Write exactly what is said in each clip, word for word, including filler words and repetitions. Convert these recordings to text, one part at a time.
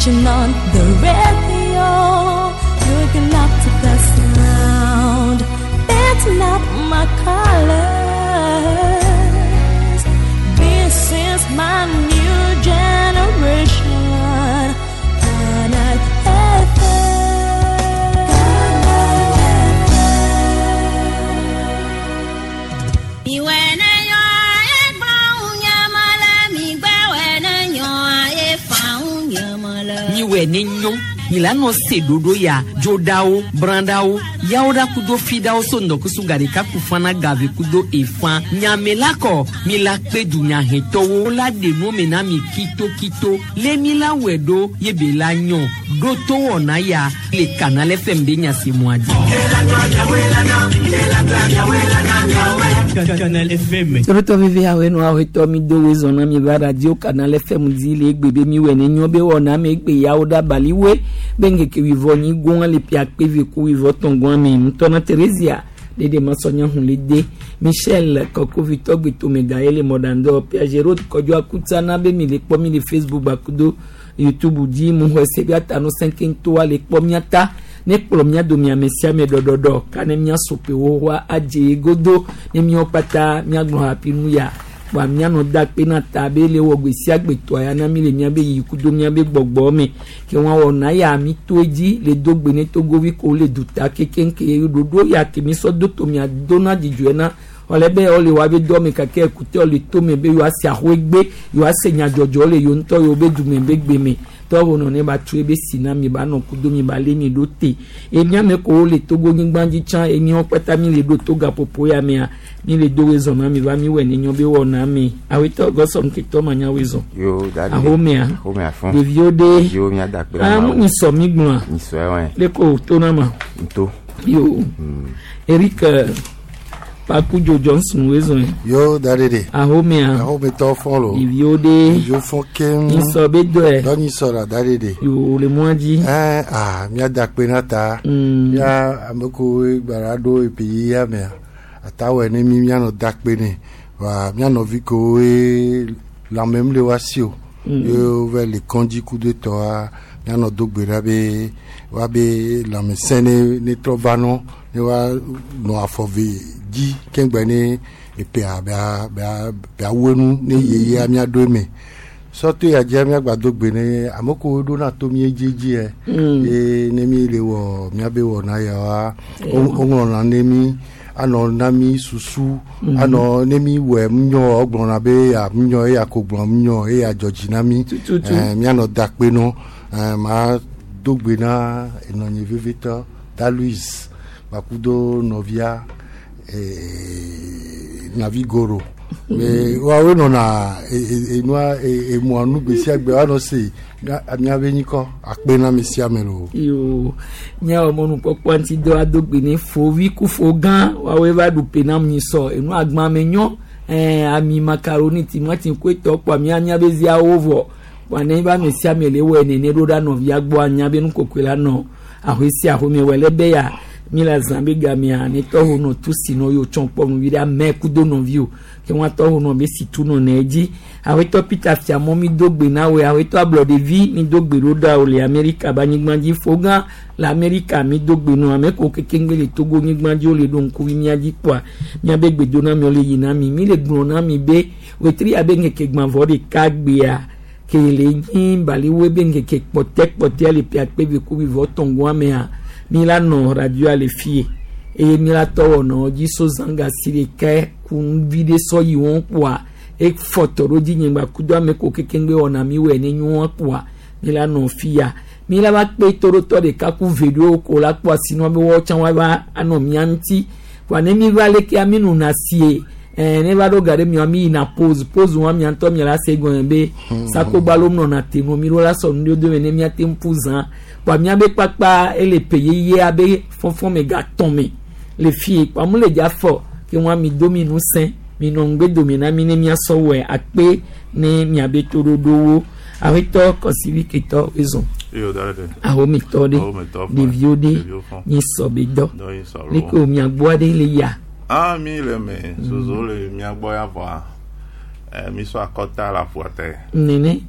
Switching on the radio, looking up to the sound. That's not my colors. This is my new generation. Canal F M. Miwɛ ne nyɔ milano se dodo ya dzodawo brandawo yawoɖa kudo fidawo so ŋdɔkusu gaɖeka kufana gave kudo efã nyamela kɔ mila kpe dunyahetɔwo la ɖe nuwo na mi kitokito lé mi la wɛ ɖo ye be la nyɔ ɖo to wɔna ya le Canal F M be nyasemua dzi. Canal F M. Torotɔ vivi awo nu awo tɔ mi do wezɔn na mi va radio Canal F M dzi le egbe be mi wɛ ne nyɔ be wɔna mi egbe yawo ɖa baliwe be ŋkeke wivɔ nyi gɔn le pia kpe ku wivɔ tɔn gɔn mi ŋutɔna Theresia dede masɔnya hun le de Michel kɔkovitɔ gbetome ga ele mɔdandɔ Piaget kɔdzɔ akuta na be mi le kpɔ mi le Facebook bakudo YouTube dzi mu xɔ se bi ata nu sɛnkɛntɔa le kpɔ miata ne kplɔ mia domi ame sia ame ɖɔɖɔɖɔ ka ne mia sopewo wa adze godo ne miawo kpata miagblɔ hapi nu ya wa mianɔ da kpe na ta be le wɔ gbe sia gbe tɔa ya na mi le miabe yi kudo miabe gbɔgbɔ me ke wɔn wɔ na ya mi to edzi le do gbe ne togovi ko le duta kekeŋke ɖoɖo ya ke mi sɔ do to mia do na dzidzɔe na wòle be wòle wa be dɔ me kake ekute wòle to me be yewoa se axɔe gbe yewoa se nyadzɔdzɔ le yewo ŋutɔ yewo be dume be gbe me tɔwo nɔ ne ba tu ebe si na mi ba nɔ kudo mi ba lé mi ɖo te emiame ko le Togo nyigba dzi tsã emiawo kpata mi le ɖo to gaƒoƒo ya mea mi le do wezɔn na mi va mi wɔ ne nyɔ be wɔ na mi awetɔ gɔsɔ ŋketɔ ma nya wezɔn ahomea ɖeviwo ɖe amu mi sɔ mi gblɔa le ko to na ma yo Eric Pakujo Johnson wezɔn. Yo dadede. Ahomea. Ahometɔ fɔlɔ. Ɖeviwo ɖe. Ɖeviwo fɔ keŋ. Nyisɔ be dɔe. Dɔ nyisɔ la dadede. Yo le mɔa dzi. Ɛɛ aa mía da kpe na ta. Mía ame ko gbara ɖo epe ya mea atawɔe ne mi míanɔ da kpe ne wa mía nɔvi kowoe lãmem le wa si o. Ye wova le kɔndzi kudo tɔa míanɔ do gbe ɖa be wa be lãmesẽ ne ne trɔ va nɔ ne wa nɔ afɔ ve dzi keŋgbe ne epea bea bea bea wenu ne yeyea míaɖo eme sɔto ya dzia míagba do gbe ne ame kowo ɖona to mí edzedzi yɛ ye ne mi le wɔ míabe wɔna ya wa woŋlɔna ne mi anɔ na mi susu anɔ ne mi wɔ ŋunyɔ gblɔna be ya ŋunyɔ eya ko gblɔ ŋunyɔ eya dzɔ dzi na mi ɛɛ míanɔ da kpe nɔ ɛɛ ma do gbe na enɔnye vevitɔ da Louise bakudo nɔvia Navi Goro mais woawoe nɔna enua emua nu gbe sia gbe woanɔ se míabe nyikɔ akpe na ame sia ame lo. Yo míawɔ mɔnukpɔkpɔ ŋuti dɔ ado gbe ne fovi ku fo gã woawoe va ɖu pe na nyisɔ enu agba me nyɔ ɛɛ ami makaroni timati koe tɔ kpɔ mía míabe ziawo vɔ kpɔ ne ba ame sia ame le wɔ nene ɖo ɖa nɔvia gbɔ anya be nukokoe la nɔ ahoe sia ahoe me wɔ le be ya mi la zã be gamea ne tɔwo nɔ tu si nɔ yewo tsɔn kpɔ nuvi ɖe ame kudo nɔviwo ke wɔn tɔwo nɔ be si tu nɔ ne dzi awetɔ Peter Fiamɔ mi do gbe na woe awetɔ ablɔɖevi mi do gbe ɖo ɖa o le Amerika ba nyigba dzi fogã le Amerika mi do gbe nɔ ame ko kekeŋgbe le Togo nyigba dzi wo le ɖo ŋkuvi mía dzi kpɔa míabe gbedoname le yina mi mi le gblɔ na mi be wetri abe ŋkeke gbãvɔ ɖeka gbea ke le nyi baliwoe be ŋkeke kpɔtɛ kpɔtɛ le pia kpe ve ku vivɔ tɔngoa mea mi la nɔ radio le fie eye mi la tɔwɔ nɔ dzi so zanga si ɖeka ku vi ɖe sɔ yi wɔn kpɔa efɔtɔ ɖo dzi nyegba kudo ame ko kekeŋgbe wɔna mi wɔ ne nyuɔ kpɔa mi la nɔ fia mi la va kpe toɖotɔ ɖeka ku ve ɖewo ko la kpɔ asinua be wɔn tsã wa va anɔ mia ŋuti kpɔa ne mi va lekea mi nɔna sie ɛɛ ne va ɖo ga ɖe mia mi yina pause pause wa mia ŋutɔ mia la se gɔme be sakogbalo nɔna te nu mi ɖo la sɔ nu ɖewo do me ne mia te ŋu ƒu zã kpɔa miabe kpakpa ele pe yeye abe fɔfɔ me gatɔn me le fie kpɔa mu le dza fɔ ke wɔn mi do mi nu sẽ mi nɔ ŋugbe dome na mi ne miasɔ wɔe akpe ne miabe toɖoɖowo awetɔ kɔsivi ketɔ ezɔn ahometɔ ɖe ɖeviwo ɖe nyisɔ be dɔ leke o miagbɔa ɖe le ya. Ah mi le me zozo le miagbɔ ya vɔa ɛ mi sɔ akɔta la ƒua te. Nene.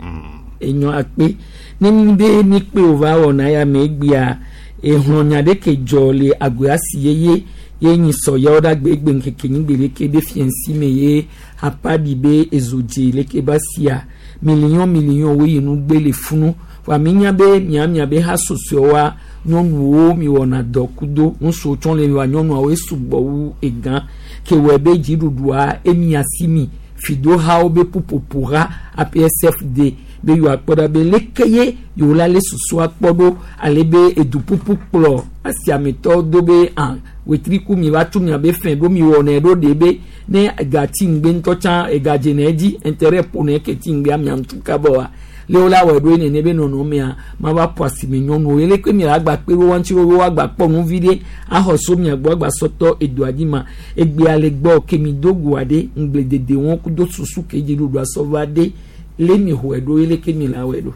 Enyɔ akpe ne mi be mi kpe wòva wɔna ya me egbea ehlɔnya ɖe ke dzɔ le agoa si yeye ye nyi sɔyawo ɖe agbe egbe ŋkeke nyigbe leke be fiɛnsi me ye apaɖi be ezodze leke ba sia miliɔn miliɔn wo yi nu gbe le funu wa mi nya be miamia be ha sosoa nyɔnuwo mi wɔna dɔ kudo ŋutsuwo tsɔ le wa nyɔnuawo esugbɔ wu egã ke wɔ be dziɖuɖua emia si mi fidohawo be ƒuƒoƒo ha A P S F D be yewoakpɔ ɖa be leke ye yewo la le susua kpɔ ɖo ale be eduƒuƒu kplɔ asiametɔwo do be ah wetriku mi va tu miabe fɛn ɖo mi wɔnɛ ɖo ɖe be ne egati ŋgbe ŋutɔ tsã egadze ne edzi intérêt ƒo ne ke ti ŋgbea mia ŋutu kaba wa le wo la wɔ ɖo nene be nɔnɔmea ma va ƒo asime nyɔnuwo ye leke mi la gba kpe ɖo wa ŋuti wo agba kpɔ nu vi ɖe axɔ so mia gbɔ agba sɔtɔ edoa dzi ma egbea le gbɔ ke mi do goa ɖe ŋgbledede wɔn kudo susu ke dziɖuɖu asɔ va ɖe le mi xɔe ɖo ye leke mi la wɔe ɖo.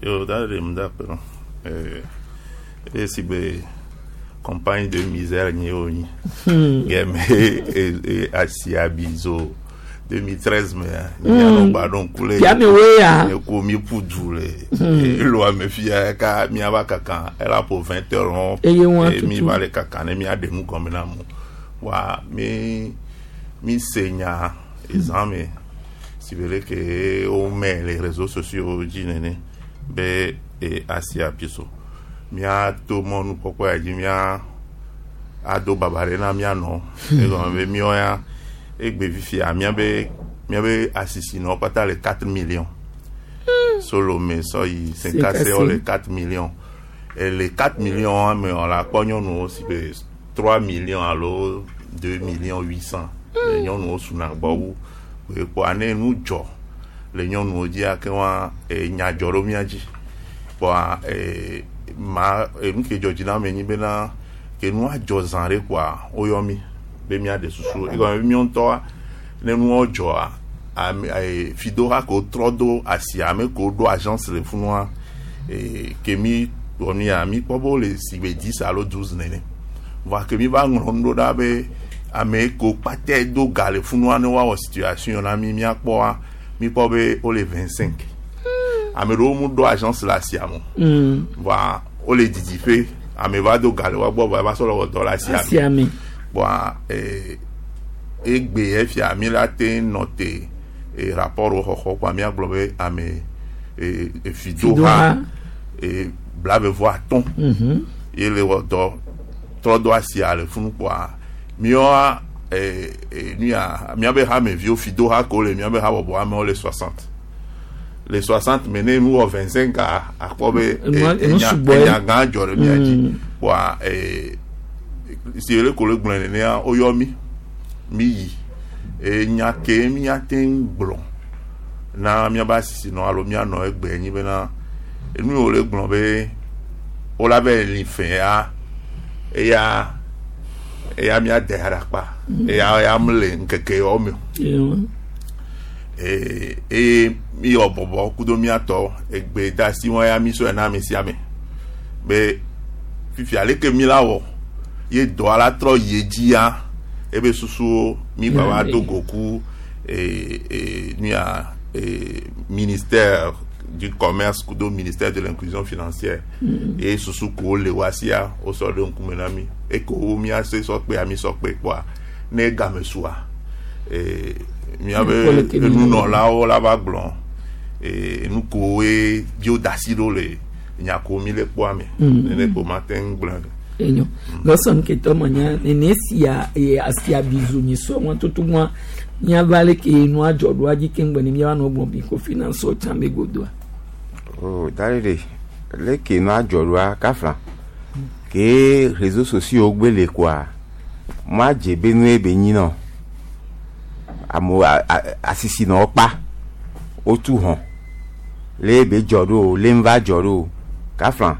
Yo, da de mu da pe no. Eh, e si be campagne de misère ni o ni. Geme e e asia bizo deux mille treize me ni ano gba don kule. Fia me wo ya. E ko mi pudu le. E lo ame fia ka mi aba kaka ela po vingt heures on. Eye wọn E mi tutu. va le kaka ne mi ade nu gɔme na mo. Wa mi mi se nya exame si vele ke o mɛ les réseaux sociaux dzi nene be e asia biso mía to mɔnukpɔkpɔ ya dzi mía ado baba ɖe na mía nɔ egɔme be míɔ ya egbe fifia míabe míabe asisinɔwo kpata le quatre millions Solome sɔ yi Cinkassé wo le quatre millions et les quatre millions ame wɔ la kpɔ nyɔnuwo si be trois millions alo deux millions huit cents. Nyɔnuwo suna gbɔ wu kpɔa ne nu dzɔ le nyɔnuwo dzia ke wa enya dzɔ ɖo mía dzi kpɔa ee ma enu ke dzɔ dzi na ame nyi bena ke nua dzɔ zã ɖe kpɔa woyɔ mi be míaɖe susu egɔme be míawo ŋutɔa ne nuwo dzɔa ame ee fidoha ko trɔ do asi ame ko ɖo agence le funua ee ke mi wɔ nu ya mi kpɔ be wole si be dix alo douze nene voa ke mi va ŋlɔ nu ɖo ɖa be ame ko kpatɛ do ga le funua ne woawɔ situation na mi míakpɔa mi kpɔ be wole vingt cinq ame ɖewo mu ɖo agence le asia me Mm. voa wole didiƒe ame va do ga le woa gbɔ voa eva sɔ le wɔ dɔ le asia me Asia me. Voa ee egbe efia mi la te nɔ te e rapport wo xɔxɔ kpoa míagblɔ be ame e e fidoha Fidoha. e blave vɔ atɔ̃ Mhm. ye le wɔ dɔ trɔ do asia le funu kpoa míawoa e e nu ya míabe hameviwo fidoha ko le míabe habɔbɔ amewo le soixante le soixante me ne nu wɔ vingt cinq a akpɔ be Enua- e- enu enya sugbɔ ye. enya gã dzɔ ɖe mía dzi Mm. kpoa e si le ko le gblɔe nenea woyɔ mi mi yi enya ke míate ŋu gblɔ na míabe asisinɔ alo míanɔ egbe nyi bena enu yiwo le gblɔ be wola be li fɛ ya eya eya míade aɖakpa eya eya mele ŋkeke yawo me o Ewa. ee eye miyɔ bɔbɔ kudo míatɔ egbe da si wɔn ya mi sɔe na ame sia ame be fifia leke mi la wɔ ye dɔa la trɔ yi edzi ya ebe susuwo mi gba va do go ku ee ee nu ya ee ministère du Commerce kudo ministère de l'Inclusion financière ye susu ko le wa sia wosɔ ɖe ŋkume na mi eko wo míase sɔ kpe ami sɔ kpe kpɔa ne game sua ee míabe Kpɔ leke mi- enunɔlawo la va gblɔ ee nu kowoe dzo da asi ɖo le nya ko mi le kpɔa me nene ko ma te ŋu gblɔ. Enyo gɔsɔn ketɔ ma nya nene sia ye asia bizu nyi sɔ wọn tutu wọn miava le ke nua dzɔ ɖoa dzi keŋ gbɔ ne miava nɔ gblɔ bi ko finance tsã be godoa. Oh, dalere leke nu adzɔ ɖoa kafla ke réseaux sociaux gbe le koa mo adze be nu ye be nyi nɔ amewo a- a- asisi nɔ kpa wotu hɔn le be dzɔ ɖo o le ŋva dzɔ ɖo o kafla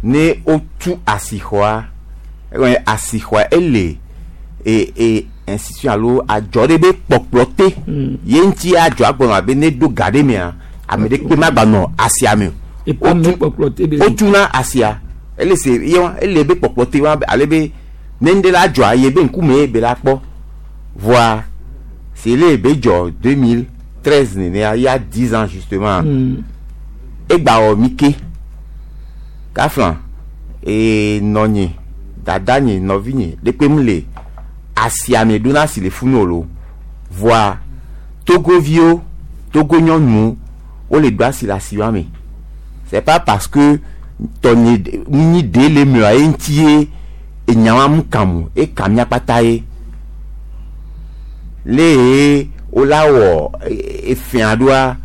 ne wotu asixɔa egɔme asixɔa ele e e institution alo adzɔ ɖe be kpɔkplɔ te ye ŋuti adzɔ agbɔnɔ abe ne ɖo ga ɖe mea ame ɖe kpe ma gba nɔ asia me o Epa me kpɔkplɔ te be. Wotuna asia ele se ye wa ele be kpɔkplɔ te wa ale be ne ŋɖe la dzɔa ye be ŋkume ye be la kpɔ voa si ele be dzɔ deux mille treize nenea il y a dix ans justement. Mm. Egba wɔ mi ke kafla ee nɔnye dada nye nɔvi nye ɖekpe mu le asiame ɖo na si le funu o lo voa togoviwo togo nyɔnuwo wole ɖo asi le asiwa me. C'est pas parce que tɔnye nyi ɖe le mea ye ŋuti ye enyawa mu kam o eka mía kpata ye le ye wola wɔ efia ɖoa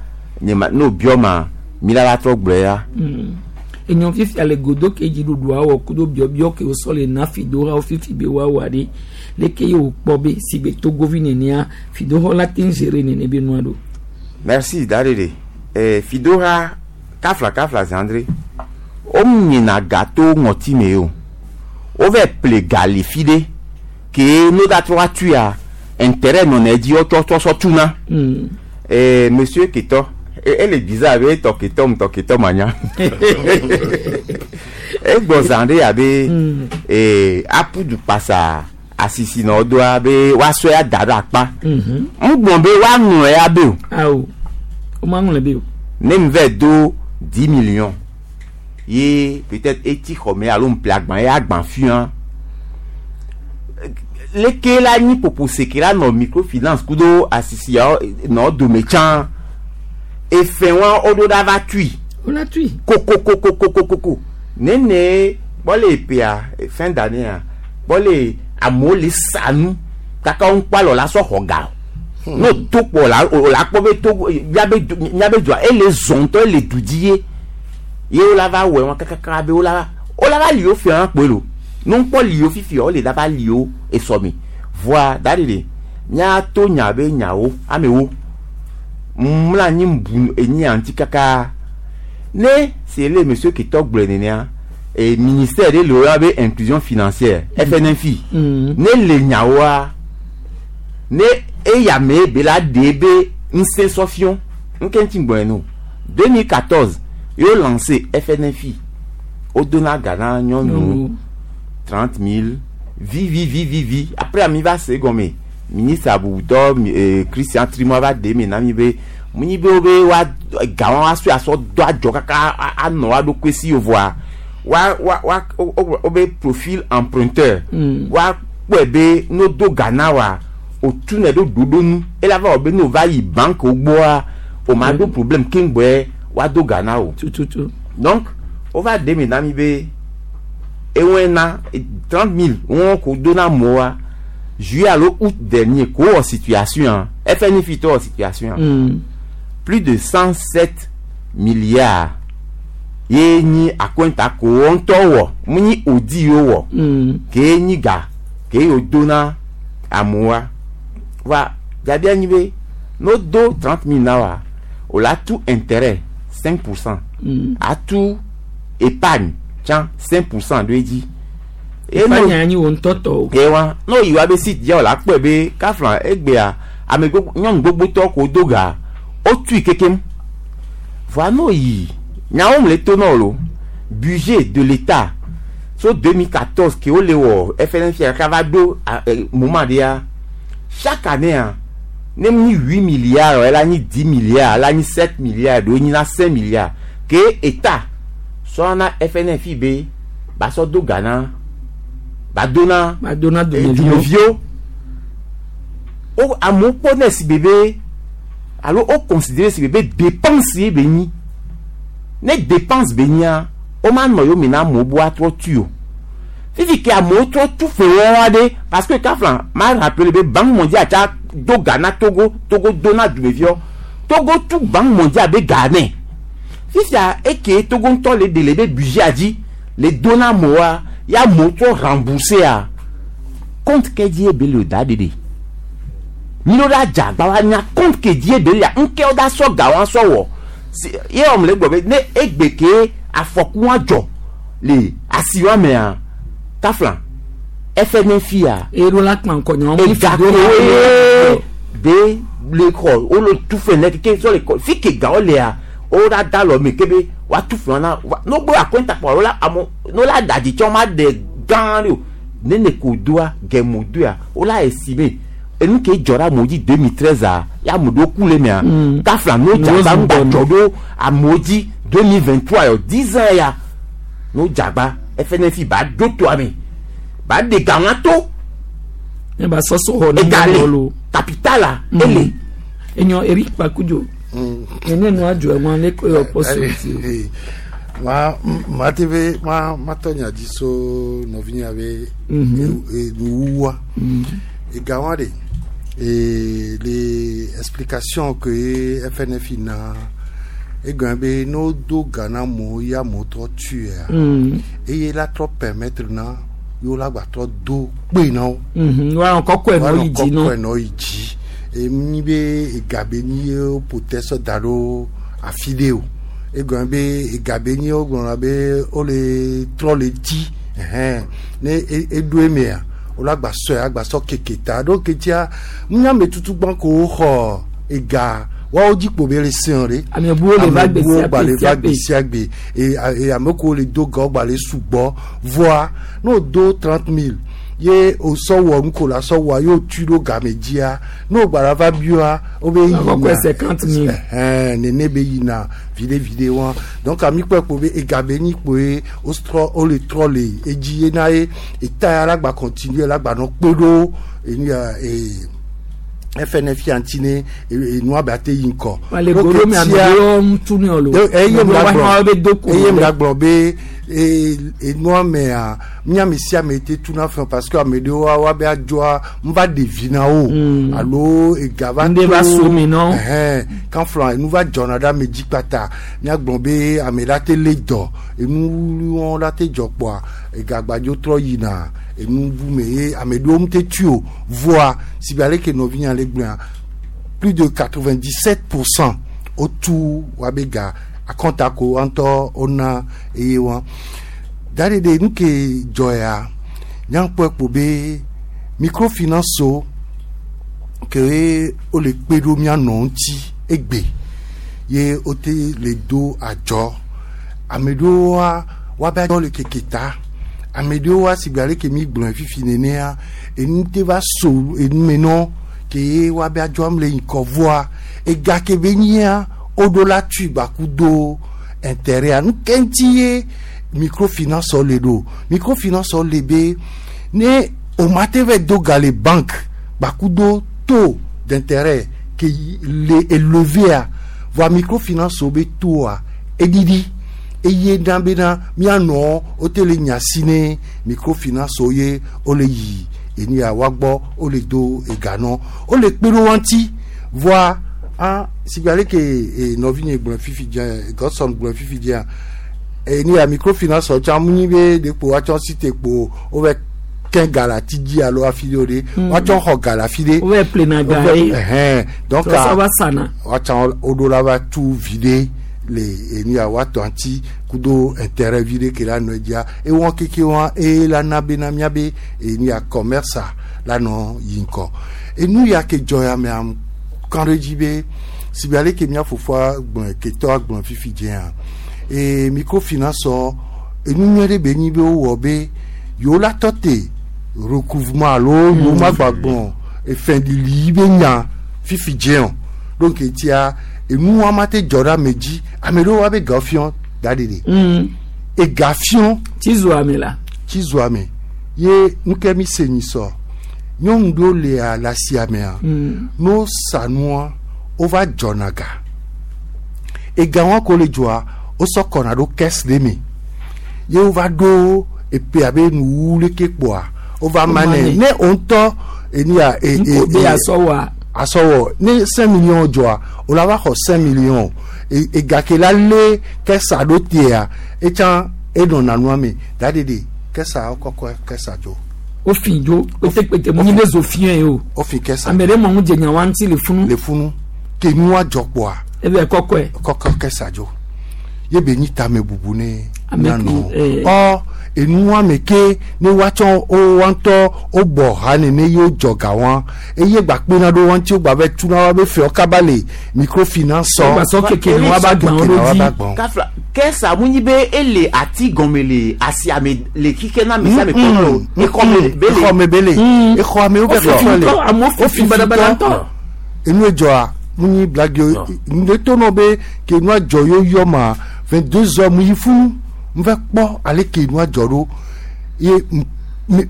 nye ma n'o biɔ ma mi la la trɔ gblɔe ya. Enyɔ fifia le godo ke dziɖuɖua wɔ kudo biɔbiɔ ke wosɔ le na fidohawo fifi be woawɔ ɖe leke ye wòkpɔ be si be togovi nenea fidoxɔ la te ŋu gérer nene be nua ɖo. Merci darere. Eh, fidoha kafla kafla zandre womnyina ga to ŋɔti me o wova ple ga le fi ɖe ke no da trɔ va tuia intérêt nɔnɔ edzi wotsɔ tsɔ sɔ tuna. Mm. Eh, monsieur Ketɔ ele bizarre be tɔ Ketɔ mu tɔ Ketɔ manya egbɔ zã ɖe abe Mm. eh, apudu kpasa asisi nɔ doa be woasɔe ada ɖe akpa Mhm. ŋgbɔn be woaŋlɔe ya be o. Awo womaŋlɔe be o. Ne mi vɛ do dix millions ye peut-être eti xɔme alo ŋple agban ye agban fia leke la nyi poposeke la nɔ microfinance kudo asisiawo nɔ dome tsã efe wa woɖo ɖa va tui Wola tui. Kokokokokokoko nene kpɔ le ƒea fin d'année kpɔ le amewo le sa nu kaka wo ŋkpɔ alɔ la sɔ xɔ ga o n'o to kpɔ la o la kpɔ be to miabe du miabe dua ele zɔ ŋutɔ ele du dzi ye ye wo la va wɔ wɔn kakaka be wo la wo la va li wo fia kpoe lo ne ŋkpɔ li wo fifi wo le la va li wo esɔmi voa da ɖe ɖe míato nya be nyawo amewo mla anyi bu enyi ŋuti kaka ne c'est le monsieur Ketɔ gblɔe nenea e ministère ɖe le wo be inclusion financière F N F I Mm. ne le nyawoa ne eya me be la ɖe be ŋusẽ sɔfiɔ nke ŋuti gbɔe no deux mille quatorze yo lancé F N F I wodona ga na nyɔnu Nyɔnuwo. trente mille vi vi vi vi vi après ami va se gɔme ministre abubutɔ eh, Christian Trimo va ɖe me na mi be munyi be wo be wa ga wa wa sɔe asɔ do adzɔ kaka a- anɔ wa ɖokui si o voa wa wa wa wo wo- wo be profil emprunteur Mm. wa kpɔe be n'o do ga na wa o tu ne ɖo ɖoɖo nu ela va wɔ be n'o va yi banque wo gbɔa o ma ɖo problème keŋgbɔe wa do ga na o. Tututu. Donc o va ɖe me na mi be ewɔe na trente mille wɔn ko do na mɔa juillet alo août dernier ko wɔ situation F N F I tɔ wɔ situation Mm. plus de cent sept milliards ye nyi akɔnta ko wɔn ŋutɔ wɔ mu nyi odi yo wɔ Mm. ke nyi ga ke yo do na amewoa va jabia nyi be n'o do trente mille na wa o la tu intérêt cinq pour cent Mm. atu épargne tsã cinq pour cent ɖo edzi. Ye n'o- Fanya anyi wo ŋutɔ tɔ o. ye wa n'o yi wa be site dzia o la kpɔe be kafla egbea ame gbogbo nyɔnu gbogbotɔ ko do ga o tui kekem voa n'o yi nyawo mu le to na o lo budget de l'État so deux mille quatorze ke wo le wɔ F N F kaka va ɖo a- eh, moment ɖea chaque année ah ne mu nyi huit milliards ela nyi dix milliards ela nyi sept milliards ɖewo nyi na cinq milliards ke État sɔna F N F I be ba sɔ do ga na ba do na Ba do na dumeviwo. Dumeviwo wo amewo kpɔ ne si bebe alo wo considéré si bebe dépense ye be nyi ne dépense be nyia wo ma nɔ yome na amewo bo atrɔ tu o fifi ke amewo trɔ tu fe wɔn aɖe parce que kafla ma rappelé be Banque mondiale tsa do ga na Togo Togo do na dumeviwo Togo tu Banque mondiale be ga nɛ fifia eke Togo ŋutɔ le de le be budget dzi le do na amewoa ya amewo trɔ rembourser a compte ke dzi ye be le o da ɖeɖe mi ɖo ɖa dze agba wa nya compte ke dzi ye be lea ŋke wo da sɔ ga wa sɔ wɔ Si- ye wɔm le gbɔ be ne egbe ke afɔku wa dzɔ le asi wa mea kafla F N F I a Eye ɖo la kpa ŋkɔ nyawo mi ega fi do koe de le xɔ wole tu fe ne keke sɔ le kɔ fi ke gawo lea wo la da lɔ me kebe wa tu fe na wa n'o gbɔ akɔnta kpɔ wo la amo n'o la da dzi tsɔ ma de gã ɖe o ne ne ko doa gɛmo doa wo la esime enu ke dzɔ ɖe amewo dzi deux mille treize a ya ame ɖewo ku le mea Mm. kafla n'o dza N'o ba zu ŋgba gbɔnu. dzɔ ɖo amewo dzi deux mille vingt trois yɔ dix ans ya n'o dzagba F N F I ba do toa me ba de gawọn to. Ne ba sɔsɔ xɔ ne egale lo. Capital la ele. Enyɔ Eric Kpakudzo nene nu adzɔ ɛwọn ne ko yɔ kpɔ so ti o. Ma ma te be ma ma tɔ nya dzi so nɔvinya be nuwuwua ega wa de e le explication ke F N F I na egɔn be n'o do ga na amewo ye amewo trɔ tuea Mm. eye la trɔ permettre na yewo la gba trɔ do kpe na wo. Mhm. Wa kɔkɔe nɔ yi dzi kɔkɔe nɔ. Nɔ yi dzi emi be ega be nyi ye wo ƒo sɔ da ɖo afi ɖe o egɔme be ega be nyi wo gblɔna be wole trɔ le dzi ɛhɛn ne e- eɖo emea wole agba sɔe agba sɔ keke ta ɖo ketia nunyame tutugbã ko woxɔ ega woawo dzi kpo be le sẽo ɖe. Ame buwo le va gbe Ame buwo sia gba gbe le sia va gbe. gbe sia gbe e a- e ame kewo le do ga wo gba le sugbɔ voa ne o do trente mille ye o sɔ wɔ nu ko la sɔ wɔa ye o tu ɖo game dzia ne o gba la va bioa wo be Akɔkɔe cinquante mille. Ɛhɛn nene be yina viɖe viɖe wa donc ami kpɔe kpo be ega be nyi kpo ye o trɔ o le trɔ le edzi ye na ye eta ya la gba continue la gba nɔ kpe ɖo enu ya ee F N F ŋuti ne enua be ate yi ŋkɔ. Wale Donc, goro mi ame tia- ɖewo ŋutu ne lo. eye Ame mi la ɖewo gblɔ be do ko. eye mi la gblɔ be e- enua mea míame sia ame te tuna fɛn parce que ame ɖewo wa be adzɔa n va ɖe vi na wo alo ega va Ŋɖe va so mi nɔ. ɛhɛn kanflɔ enu va dzɔna ɖe ame dzi kpata míagblɔ be ame la te lé dɔ enu wɔn la te dzɔ kpɔa ega gbadzo trɔ yina enu bu me ye ame ɖewo mu te tui o voa si be aleke nɔvinya le gblɔa plus de quatre-vingt-dix-sept pour cent wotu wabe ga akɔnta ko ŋutɔ wona eye wa da ɖe ɖe nu ke dzɔ ya nyankpɔe kpo be microfinance wo ke wole kpe ɖo mía nɔ ŋuti egbe ye wote le do adzɔ ame ɖewoa woabe adzɔ le keke ta ame ɖewoa si gbe aleke mi gblɔe fifi nenea enu te va so enu me nɔ ke ye woabe adzɔ am le ŋkɔ voa ega ke be nyia woɖo la tui gbaku do intérêt nu ke ŋuti ye microfinance le ɖo microfinance le be ne o ma te va do ga le banque gbaku do taux d'intérêt ke yi- le élevé a voa microfinance wo be taux a eɖiɖi eye na bena mianɔ wote le nya si ne microfinance wo ye wole yi enu ya woagbɔ wole do ega nɔ wole kpe ɖo wa ŋuti voa ah sigbe aleke e nɔvinye gblɔ fifi dzia Godson gblɔ fifi dzia enu ya microfinance wo tsã mu nyi be ɖekpo woatsɔ si te kpo wove kɛ ga le ati dzi alo afi ɖe o ɖe woatsɔ xɔ ga le afi ɖe. Wove ƒlena ga ye. Ɛhɛn donc Trɔ va sana. Woatsã woɖo la va tu viɖe le enu ya woatɔ ŋuti kudo intérêt viɖe ke la nɔ edzia ewɔ keke wa eye la na bena míabe enu ya commerce a la nɔ yi ŋkɔ enu ya ke dzɔ ya mea kan ɖe dzi be si be aleke mía fofoa gblɔe ketɔa gblɔ fifi dzea ee microfinance enu nyuie ɖe be nyi be wowɔ be yewo la tɔ te recouvrement alo yewo ma gba gblɔ efɛɖiɖi be nya fifi dzea o donc etia enu wa ma te dzɔ ɖe ame dzi ame ɖewo wa be ga fiɔ da ɖeɖe Mm. ega fiɔ. Tsi zo ame la. Tsi zo ame ye nuke mi se nyi sɔ nyɔnu ɖewo lea le asia mea Mm. no sa nua wova dzɔna ga ega wa ko le dzɔa wosɔ kɔna ɖo caisse ɖe me ye wova ɖo epe abe nuwu leke kpoa wova ma nɛ manɛ. ne o ŋutɔ enu ya e e Nko be e asɔ wa. asɔwɔ ne cinq millions dzɔa o la va xɔ cinq millions e ega ke la lé kɛsa ɖo tea etsã enɔna nua me da ɖeɖe kɛsa wokɔkɔ kɛsa dzo. Wofi dzo kpetekpete mu nyi ne zo fiɛ ye o. Wofi kɛsa. Ame ɖe mɔ ŋu dze nya wa ŋuti le funu. Le funu ke nua dzɔ kpoa Ebe kɔkɔe. Kɔkɔ kɛsa dzo ye be nyi tame bubu ne Ame mianɔ ke- eh. ɔ enua me ke ne woatsɔ wo wa ŋutɔ wobɔ ha nene ye wodzɔ ga wa eye gba kpena ɖo wa ŋuti wogba be tuna wa be fɛwo kaba le microfinance. Wogba sɔ keke ne woava gbã wo ɖo dzi. Kafla kɛsa mu nyi be ele ati gɔme le asia me le kike na me sia me kpɔnɔ o exɔ me be le. Exɔ me be le exɔ me wo bɛ Wofi kɔkɔ le ŋutɔ, amewo fi badabada ŋutɔ. Enu edzɔa mu nyi blagi o ne to nɔ be ke nua dzɔ yo yɔ ma vingt deux heures mu yi funu n fɛ kpɔ ale ke nua dzɔ ɖo ye m- mi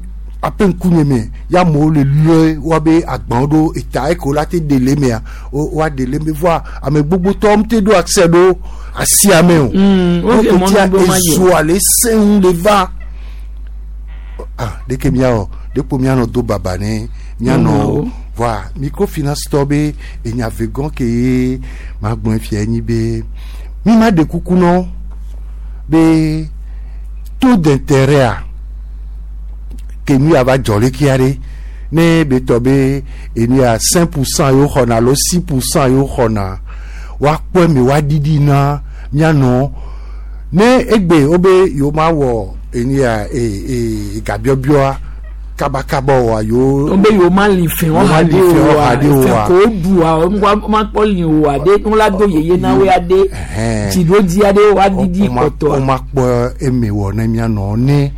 aƒe ŋkunye me ya amewo le lɔ woabe agbawo ɖo eta eke la te ɖe le mea wo woaɖe le me voa ame gbogbotɔwo te ɖo accès ɖo asia me o Mm, wo donc ke mɔnu tia be ma yi o. ezoa le sẽŋu le va ah ɖeke miawɔ ɖekpo mianɔ do baba ne mianɔ Mianɔwo. voa microfinance tɔ be enya vegɔn ke ye magblɔe fia nyi be mi ma ɖe kuku nɔ be taux d'intérêt a ke nu ya va dzɔ ɖe kia ɖe ne be tɔ be enu ya cinq pour cent yewo xɔna alo six pour cent yewo xɔna woakpɔe me woaɖiɖi na mianɔ ne egbe wo be yewo ma wɔ enu ya e e gabiɔbiɔa kabakaba oa yewo wo be yewo ma li fɛn Wo ma wa li de fɛn o wa wa hã de o fɛn wa. ko du wa wo ma kpɔ li o wa de wo la do yeye na wo ya de Ɛhɛn. tsi ɖo dzi aɖe wa didi wo ma- kɔtɔa wo ma kpɔ eme wɔ ne mianɔ ne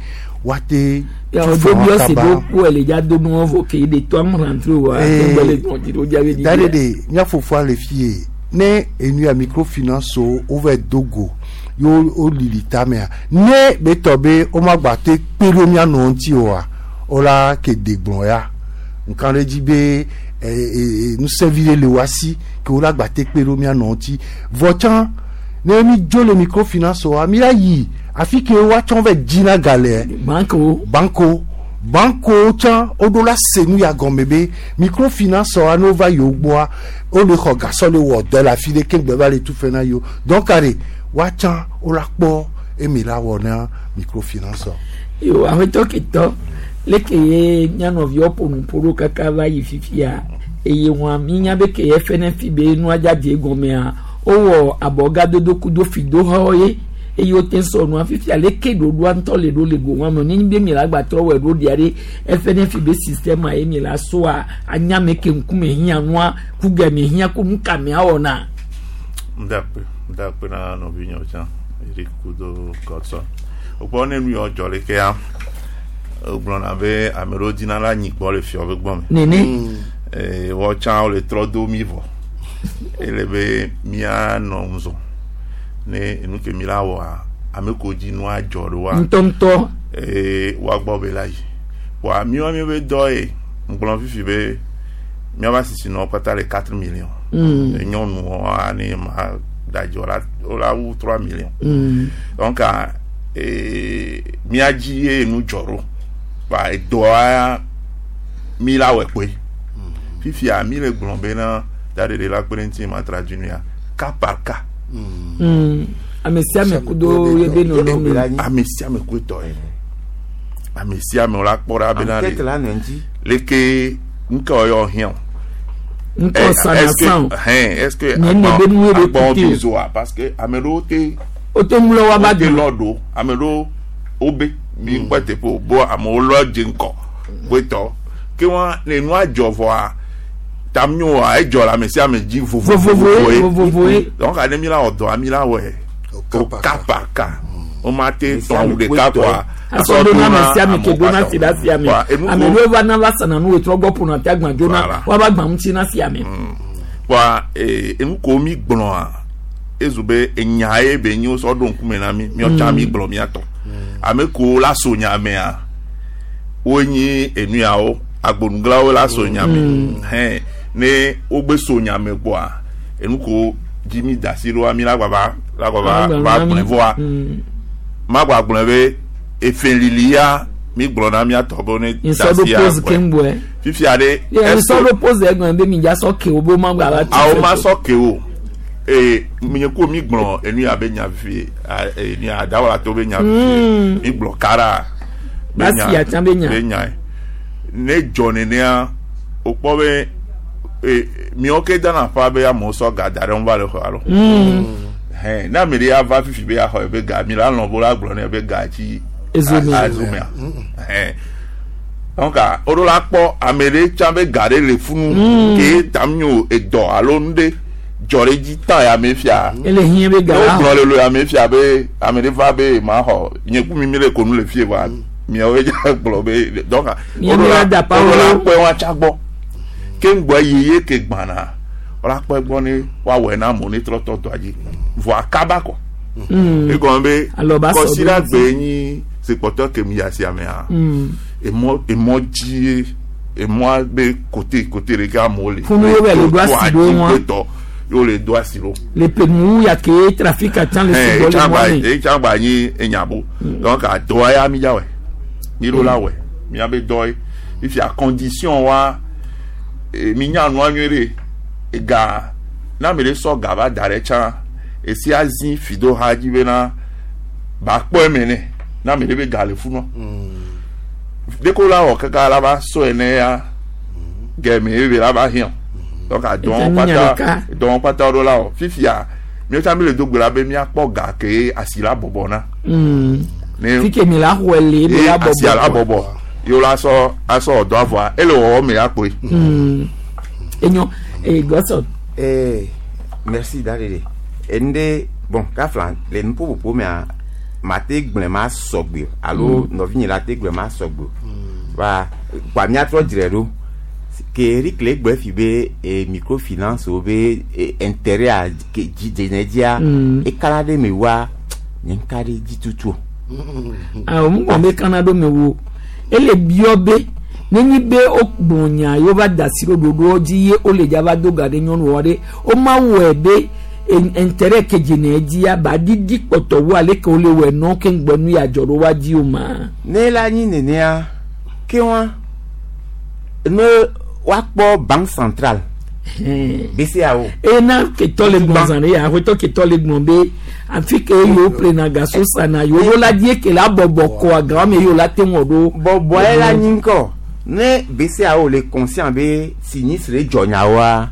woate ya tu wo fɛn do wa bi ɔsi kaba. do ku ele dza do nuwo vɔ ke de to am rentre wa Eh, gbɛ le tɔn tsi ɖo dzi abe da didi ɖe ɖe mía fofoa le fie ne enu ya microfinance wo wova do go ye wo wo lili tamea ne be tɔ be wo ma gba te kpe ɖo mía nɔ ŋuti oa wo la ke de gblɔ ya nka ɖe dzi be e e nusẽvi ɖe le wa si ke wo la gba te kpe ɖo mía nɔ ŋuti vɔ tsã ne mi dzo le microfinance oa mi la yi afi ke woatsɔ va dzina ga le banque wo banko banko tsã woɖo la se nu ya gɔme be microfinance wa ne wova yewo gbɔa wole xɔ gasɔ le wɔ dɔ le afi ɖe ke gbe va le tu fɛ na yewo donc are woatsã wola kpɔ emi la wɔ na microfinance wa. yo aƒetɔ ketɔ leke ye mianɔviwo ƒo nu ƒo ɖo kaka va yi fifia eye wɔn mi nya be ke ye fɛnɛ fi be nua dzadze gɔmea wowɔ abɔgadodo kudo fidoxɔ ye eye wote sɔ nua fifia leke ɖoɖoa ŋutɔ le ɖo le go wɔn me ne be mi la gbatrɔ wɔ ɖo ɖia ɖe efɛnɛ fi be système ye mi la soa anyame ke ŋkume hiã nua ku game hiã ku nu kame awɔna. Ndakpe, ndakpe na nɔvinyewo tsã, Eric kudo Godson. Wokpɔ ne nu yawo dzɔ leke ya, wogblɔna be ame ɖewo dina la nyi gbɔ le fiɔ be gbɔ me. Nene Eh, woawo tsã wole trɔ do mi vɔ. Ele be míanɔ ŋuzɔ ne enu ke mi la wɔa, ame ko dzi nua dzɔ ɖoa, ŋutɔŋutɔ eh, woagbɔ be la yi. Voa míawo míabe dɔ ye, ŋgblɔ fifi be míaƒe asisinɔwo kpata le quatre millions. Mm. Nyɔnuwoa ne ma ɖadzi wola wola wu trois millions. Mm. Donc ah, eh, mía dzi ye nu dzɔ ɖo. Ba edɔa mi la wɔe kpoe. Fifia mi le gblɔ bena daɖeɖe la kpe ɖe ŋuti ma traduit nu ya cas par cas. Mm. ame sia ame kudo ye be nɔnɔme. Ame sia ame koe tɔ ye. Ame sia ame wola kpɔ ɖa bena enquête le la nɔ ŋuti leke nuka wɔyɔ hiã o. ŋkɔ sana san o. Hɛn est-ce que Nye ne be nu ye be agbɔn kute o. bi zoa parce que ame ɖewo te o te ŋlɔ wa ba wote dùn. lɔ ɖo ame ɖewo wobe mi ŋkpɔ teƒe o bo amewo lɔ dze ŋkɔ koetɔ ke wa ne nua dzɔ vɔa tam nyo wa edzɔ le ame sia ame dzi vovovoe vovovoe vovovoe donc ane mi la wɔ dɔa mi la wɔe Au o cas par cas cas. par cas o ma te Ame sia tɔn ame awu ɖeka koe kɔa asɔ do na ame sia ame ke do na si ɖe asia me ame ɖewo va na va sana nu wetrɔ gbɔ ƒona te agbã dzo na Voilà. woava gbã ŋuti na sia me. Kɔa ee enu ko mi gblɔa ezu be enya ye be nyi wosɔ ɖo ŋkume na mi miɔ tsã mi gblɔ miatɔ ame ko la so nya mea wonyi enu yawo agbonuglawo la so nya me hɛn ne wogbe so nya me kpɔa enu ko dzi mi da si ɖoa mi la gbava la gbava va gblɔe vɔa Mm. ma gba gblɔe be efelili ya mi gblɔ na miatɔ be ne da nsɔ ɖo si ya pose gbɔe keŋgbɔe. fifia ɖe ye est-ce nsɔ que- ɖo pose egɔme be mi dza sɔ ke wo be wo ma gba va tu awo fɛ ma o. sɔ ke o ee nye ko mi gblɔ enu ya be nya fie a enu ya dawɔla to be nya fie mi gblɔ kara be Basi ya tsã be nya. be nya ye ne dzɔ nenea o kpɔ be ee miawo ke dana ƒa be amewo sɔ ga da ɖe ŋu va le xɔ alo Mm. hɛn ne ame ɖe ya va fifi be yaxɔ ebe ga mi la lɔn bo la gblɔ nɛ be ga tsi Ezomea. a- ezomea hɛn donc a o ɖo la kpɔ ame ɖe tsã be ga ɖe le funu ke tam nyo edɔ alo nu ɖe dzɔ ɖe dzi tan ya ame fia ele hiã be ga ne la wogblɔ le lo ame fia be ame ɖe va be ma xɔ nye ku mi mi le konu le fie wa miawo dza gblɔ be donc o Mia ɖo mi la la da o ɖo la pa wo. kpɔe wa tsa gbɔ ke ŋgbɔ yi ye ke gbana o la kpɔe gbɔ ne woawɔe na amewo ne trɔ tɔ dɔa dzi vɔa kaba kɔ Egɔme be Alɔ ba sɔ kɔsiɖa ɖo gbe nyi zikpɔtɔ ke mi asia mea emɔ emɔ dzie emɔa be kote kote ɖeka amewo le. Funu wo bɛ le do asi ɖo wọn. Adzigbe yóò le do asi ɖo. Le penu ya ke trafic atsan le Ɛn sugbɔ le mɔ me. etsã gba nyi enyabo donc adɔa ya mi dza wɛ mi ɖo la wɛ miabe dɔ ye fifia condition wa eh, mi nya nua nyuie ɖe ega na ame ɖe sɔ ga va da ɖe tsã esi azi fi do ha dzi bena ba kpɔ eme nɛ na ame ɖe be ga le funua deko la wɔ kaka la va sɔ ene ya gɛmɛ ebe la va hiã donc adɔn Etsã mi nya kpata ɖeka. dɔn kpata ɖo la wɔ fifia miatsã mi le do gbe la be miakpɔ ga ke asi la bɔbɔ na Mm. ne Fike mi la xɔe le mi ye la asi la bɔbɔ. bɔbɔ yewo la sɔ asɔ ɔdɔ avɔa ele wɔwɔ me akpoe. Mm. Enyo e gɔsɔ. Eh, merci Dalele. Ende bon kafla le nuƒoƒoƒo mea mate gblẽ ma sɔgbe alo nɔvinye la te gblẽ ma sɔgbe. Va kpa míatrɔ dzre ɖo ke Eric le gblẽ fi be eh, microfinance wo be eh, intérêt a ke dzi dzene dzia Mm. ekana ɖe me wa nye ŋka ɖe dzi tutu o. Awɔ mu gbɔn be kana ɖo me wo. Ele biɔ be nenyi be wo gblɔ nya yewo va da asi ɖo ɖoɖoɔ dzi ye wole dza va do ga ɖe nyɔnuwo ɖe wo ma wɔe be en- intérêt ke dzene dzia ba didi kpɔtɔ wu ale ke wole wɔe nɔ ke ŋgbɔ nu ya dzɔ ɖo wa dzi o ma. Ne la nyi nenea ke wa ne woakpɔ banque centrale Hɛn. BCEAO. ena ketɔ le gbɔn zan ɖe ya aƒetɔ ketɔ le gbɔn be afi ke yewo ƒlena gaso sana yewo ɖo la die ke la bɔbɔ kɔ agawo me yewo la te ŋu ɖo. bɔbɔe la nyi ŋkɔ ne BCEAO le conscient be sinistre dzɔ nyawoa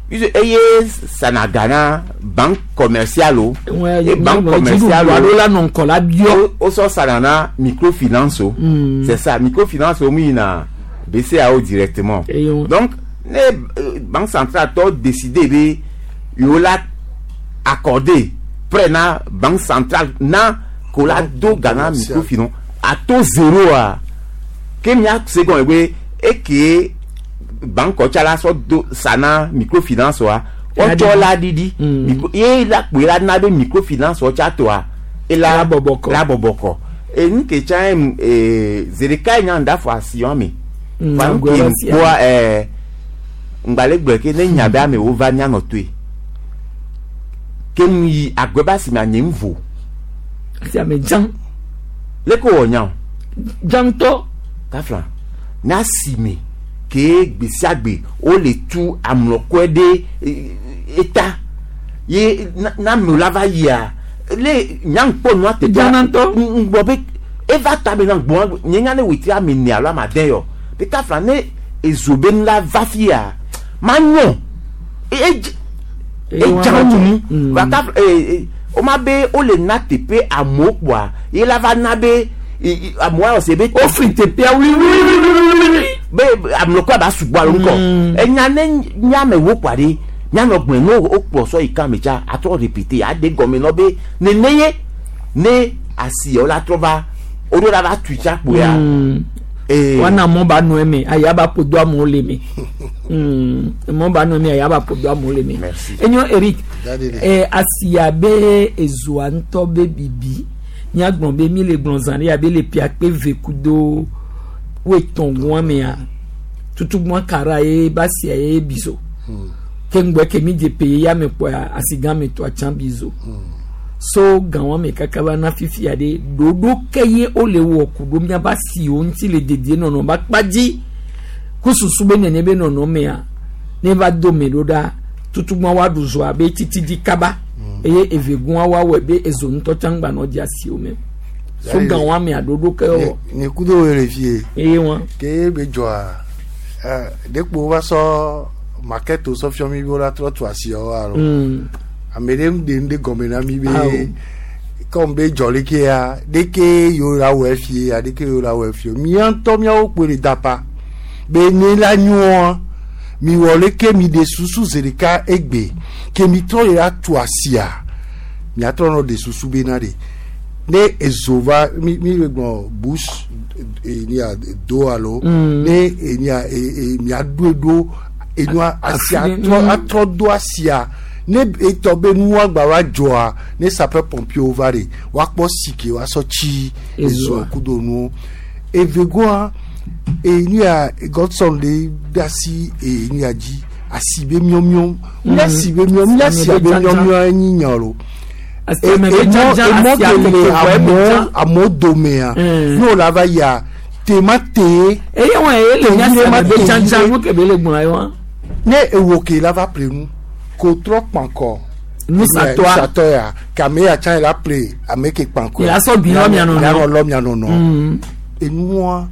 puisque eye sana ga na banque commerciale o Wɛ e banque commerciale alo o la nɔ ŋkɔ la biɔ. o o sɔ sana na microfinance o Mm. c'est ça microfinance o mu yina BCEAO directement Eye wo- donc ne euh, banque centrale tɔ décider be yewo la accordé prêt na banque centrale na ko la do ga na Commerciale. microfinance a taux zéro a ke mia se gɔme be eke banque tsa la sɔ do sa na microfinance wa wotsɔ la ɖiɖi Mm. Micro- ye la kpoe la na be microfinance wa tsa toa ela La bɔbɔ kɔ. la bɔbɔ kɔ enu ke tsa ye ee zeɖeka yi nya ŋda fɔ asi wɔn me Mm, fa nu agbe ke la sia. ŋkpɔa ɛɛ ŋgbalẽ gblɔ ke ne nya be amewo va mianɔ toe ke nu yi agbe ba si ma nye ŋu vo Asi ame dzã leke wɔ nya o dzã ŋutɔ. kafla na si me ke gbe sia gbe wole tu amlɔkɔe ɖe e, eta ye na na amewo la va yia le nyaŋkpɔ nua teƒea Dzana ŋutɔ. ŋgbɔ be eva ta be na gbɔn nye nya ne wetri ame ene alo ame ade yɔ be kafla ne ezo be nu la va fia ma nyɔ e e edza nu Mm. va kafla ee e o ma be wole na teƒe amewo kpoa ye la va na be e, e, amewo ayɔ se be Wofli teƒea wliwliwliwliwli. be amlɔkɔ ba sugbɔ alo ŋkɔ Mm. enya ne nyame wo kpa ɖe nyanɔ gblẽ ne wo kplɔ sɔ yi kan me tsa atrɔ répété aɖe gɔme nɔ be nene ye ne asiawo la trɔ va wo ɖo la va tui tsa kpoya Mm. ee Wana mɔ ba nɔ eme aya ba ƒo do amewo le me. Mm. Mɔ ba nɔ eme aya ba ƒo do amewo le me. Merci. Enyo Eric. Daddy. Eh, asia be ezoa ŋutɔ be bibi míagblɔ be mi le gblɔ zã ɖe abe le pia kpe ve kudo woetɔ̃ gɔa mea tutugbɔn kara ye ba sia ye bizo ke ŋgbɛ ke mi dze pe ya me kpɔa asigã me tɔa tsã bizo so gãwa me kaka va na fifia ɖe ɖoɖo ke ye wole wɔ ku ɖo miaba siwo ŋuti le dedienɔnɔ ba kpa dzi kususu be nene be nɔnɔ mea ne va do me ɖo ɖa tutugbɔn wa ɖu zɔa be titi dzi kaba eye evegɔa wa wɔe be ezo ŋutɔ tsã ŋgba nɔ dzi asiwo me so Yayi- gãwa mea ɖoɖo ke wɔ nye kudo wo le fie eye wa ke be dzɔa eh, ɖekpo va sɔ maketo sɔ fiɔ mi be wola trɔ tu asiawo alo mm. ame ɖe ŋu ɖe ŋu ɖe gɔme na mi Awo. be kɔm be dzɔ leke ya ɖeke yewo la wɔe fie ya ɖeke yewo la wɔe fie mía ŋutɔ míawo kpoe le dapa be ne la nyoa mi wɔ leke mi ɖe susu zi ɖeka egbe ke mi trɔ yi la tu asia miatrɔ nɔ ɖe susu be na ɖe ne ezo va mi mi le gblɔ bus enia do alo Mm. ne enia e e miaɖoe ɖo enua asia Afi ɖe- trɔ mm. atrɔ do asia Ne etɔ be nua gba va dzɔa ne sapeur pompier va de woakpɔ si ke woasɔ tsi Ezoa. ezoa kudo nuwo evegoa enu ya Godson le de asi enu ya dzi asi be miɔmiɔ mía si be miɔ mía si be miɔmiɔ enyi nya lo Asi me be dzadza, emɔ asia ke le tete vɔ ebe amewo dzã. amewo domea Mm. n'o la va yia tema te Eye wɔn ye le mía Tevi si ma ame be tevi dzadza ɖe. nu ke be le gblɔ ye wa. ne ewo ke la va ple nu ko trɔ kpankɔ Nusatɔa. nusatɔ ya kame ya tsã yi la ple ame ke kpankɔ Yi la sɔ gbi lɔ mia nɔnɔ. ya lɔ mia nɔnɔ Mm. enua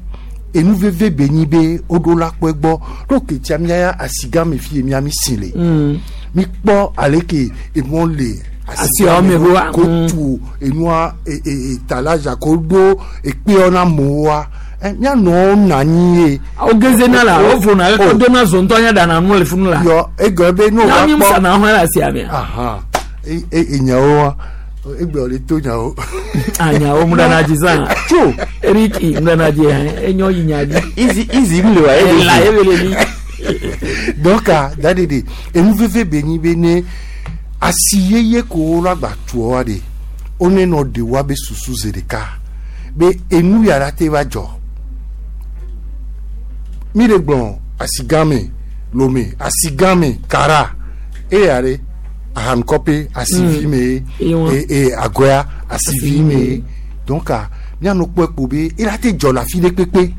enu veve be nyi be woɖo la kpɔe gbɔ ɖo ketia mia ya asigã me fi ye mia mi si le Mm. mi kpɔ ale ke emɔ le Asiawo me ɖoa, ko mm. tu enua e- e- etalaja ko ɖo ekpeɔ na amewoa ɛ mianɔwo na anyi ye Wo geze na la, wo vona Oh. ekɔ dona zo ŋutɔ nya ɖana nu le funu la. yɔ egɔme be ne Na wova mi kpɔ sana hɔn le asia mea. ahan e- e- enyawo wa egbe le to nyawo Anyawo mu ɖana dzi zã. tso Eriki mu ɖana dzi hɛn enyo yi nya dzi. izi izi mi le wa Ela ye ebe le mi. donc ah, dadi de enu veve be nyi be ne asi yeye ko wo la gba tuɔ wa de wo ne nɔ de wa be susu zi ɖeka be enu ya la te va dzɔ mi le gblɔ asi gã me lome asi gã me kara eya ɖe ahankɔpe asivi me Eye wa. e e agɔya asivi me donc ah, mianɔ kpɔe kpo be ela te dzɔ le afi ɖe kpekpe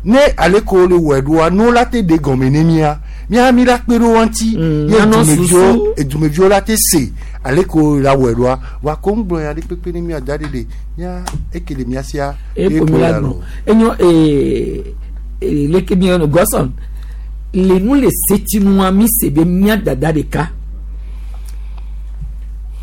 ne ale ko le wɔe ɖoa ne wo la te ɖe gɔme ne mia mia mi la kpe ɖe wo ŋuti Mm, ye mianɔ dumeviwo susu. edumeviwo la te se ale ko la wɔe ɖoa wa ko ŋgblɔ ya ɖe kpekpe ne mia da ɖe ɖe mia eke le mia sia Epo mi la gblɔ. Enyo ee ee leke mi yɔnɔ Godson. Le nu le setinua mi se be mía dada ɖeka.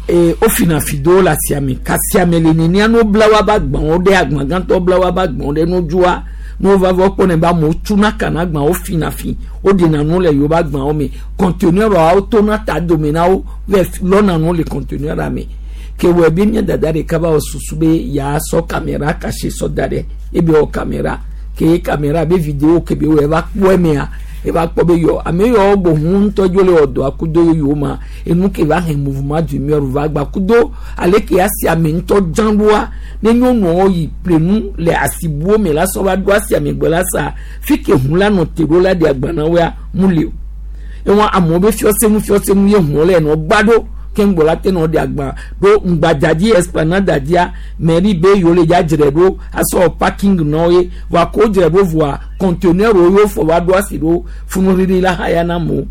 Ee wofina fi ɖewo le asia me kasia me le nenia ne wobla woabe agbawo ɖe agba gãtɔ bla woabe agbawo ɖe nudzua ne wova va kpɔnɛ be amewo tsuna ka na agba wofina fi woɖena nu le yewoƒe agbawo me conteneur wotona ta dome na wo va lɔna nu le conteneur me ke wɔ be mía dada ɖeka va wɔ susu be yeasɔ caméra caché sɔ da ɖe ebe wɔ caméra ke caméra be vidéo ke be wɔ eva kpɔ emea eva kpɔ be yɔ ame yawo bo hu ŋutɔ dzo le wɔ dɔa kudo yoyo ma enu ke va he mouvement du mur va gba kudo ale ke asi ame ŋutɔ dzã ɖoa ne nyɔnuawo yi ple nu le asibuwo me la sɔ va ɖo asi ame gbɔ la sa fi ke hu la nɔ te ɖo la ɖe agba na woa mu li o ewɔn amewo be fiɔsenu fiɔsenu ye huwo le nɔ gba ɖo ke ŋgbɔ la te nɔ ɖe agba ɖo ŋgbadzadzi esplanade dzia mairie be yewo le dza dzre ɖo asɔ parking nɔ ye voa ko dzre ɖo voa conteneur wo yewo fɔ va ɖo asi ɖo funuɖiɖi la haya na amewo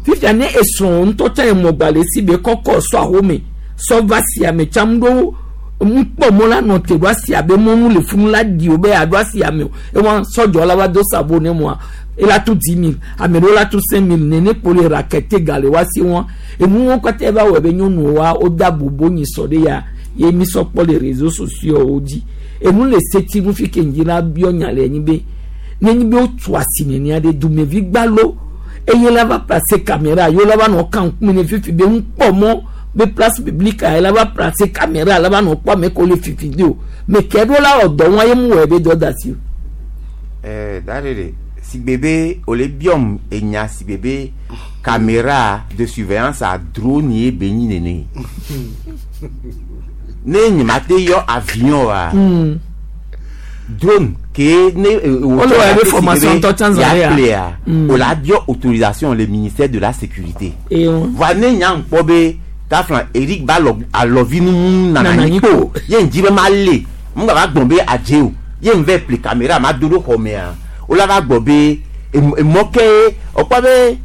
fifia ne esrɔ̃ ŋutɔ tsã emɔgba le si be kɔkɔ sɔ ahome sɔ va si ame tsam ɖo ŋkpɔ mɔ la nɔ te ɖo asi abe mɔnu le funu la di o be aɖo asi ame o ewɔn sɔdzɔ la va do sabo ne mɔa ela tu dix mille ame ɖewo la tu cinq mille nene kpo le rakete ga le wa si wɔn enuwo katã va wɔ be nyɔnuwo wa woda bobo nyi sɔ ɖe ya ye mi sɔ kpɔ le réseaux sociaux wo dzi enu le seti nu fi ke ŋdzi la biɔ nya le anyi be nenyi be wotu asi nenia ɖe dumevi gbalo eye la va place caméra yewo la va nɔ kan ŋkume ne fifi be ŋkpɔ mɔ be place publique a la va place caméra la va nɔ kpɔ ame ko le fifi de o me ke ɖo la wɔ dɔ wɔn ye mu wɔ ebe dɔ da si o. ɛɛ da de de sigbe be o le biɔm enya sigbe be caméra de surveillance a drone ye be nyi nene ne nye ma te yɔ avion wa Mm. drone ke ne O le wɔ ebe formation tɔ tsã zã ya ya. plea Mm. o la biɔ autorisation le ministère de la sécurité eye wɔn. voa ne nya ŋkpɔ be kafla Eric ba lɔ alɔvi nu nana Nana nyi nyi kpo kpo. ye ŋdzi be ma le ŋgba va gbɔn be adze o ye ŋ vɛ ple caméra ma do ɖo xɔ mea o la va gbɔ be em- emɔ ke ɔkpɔ be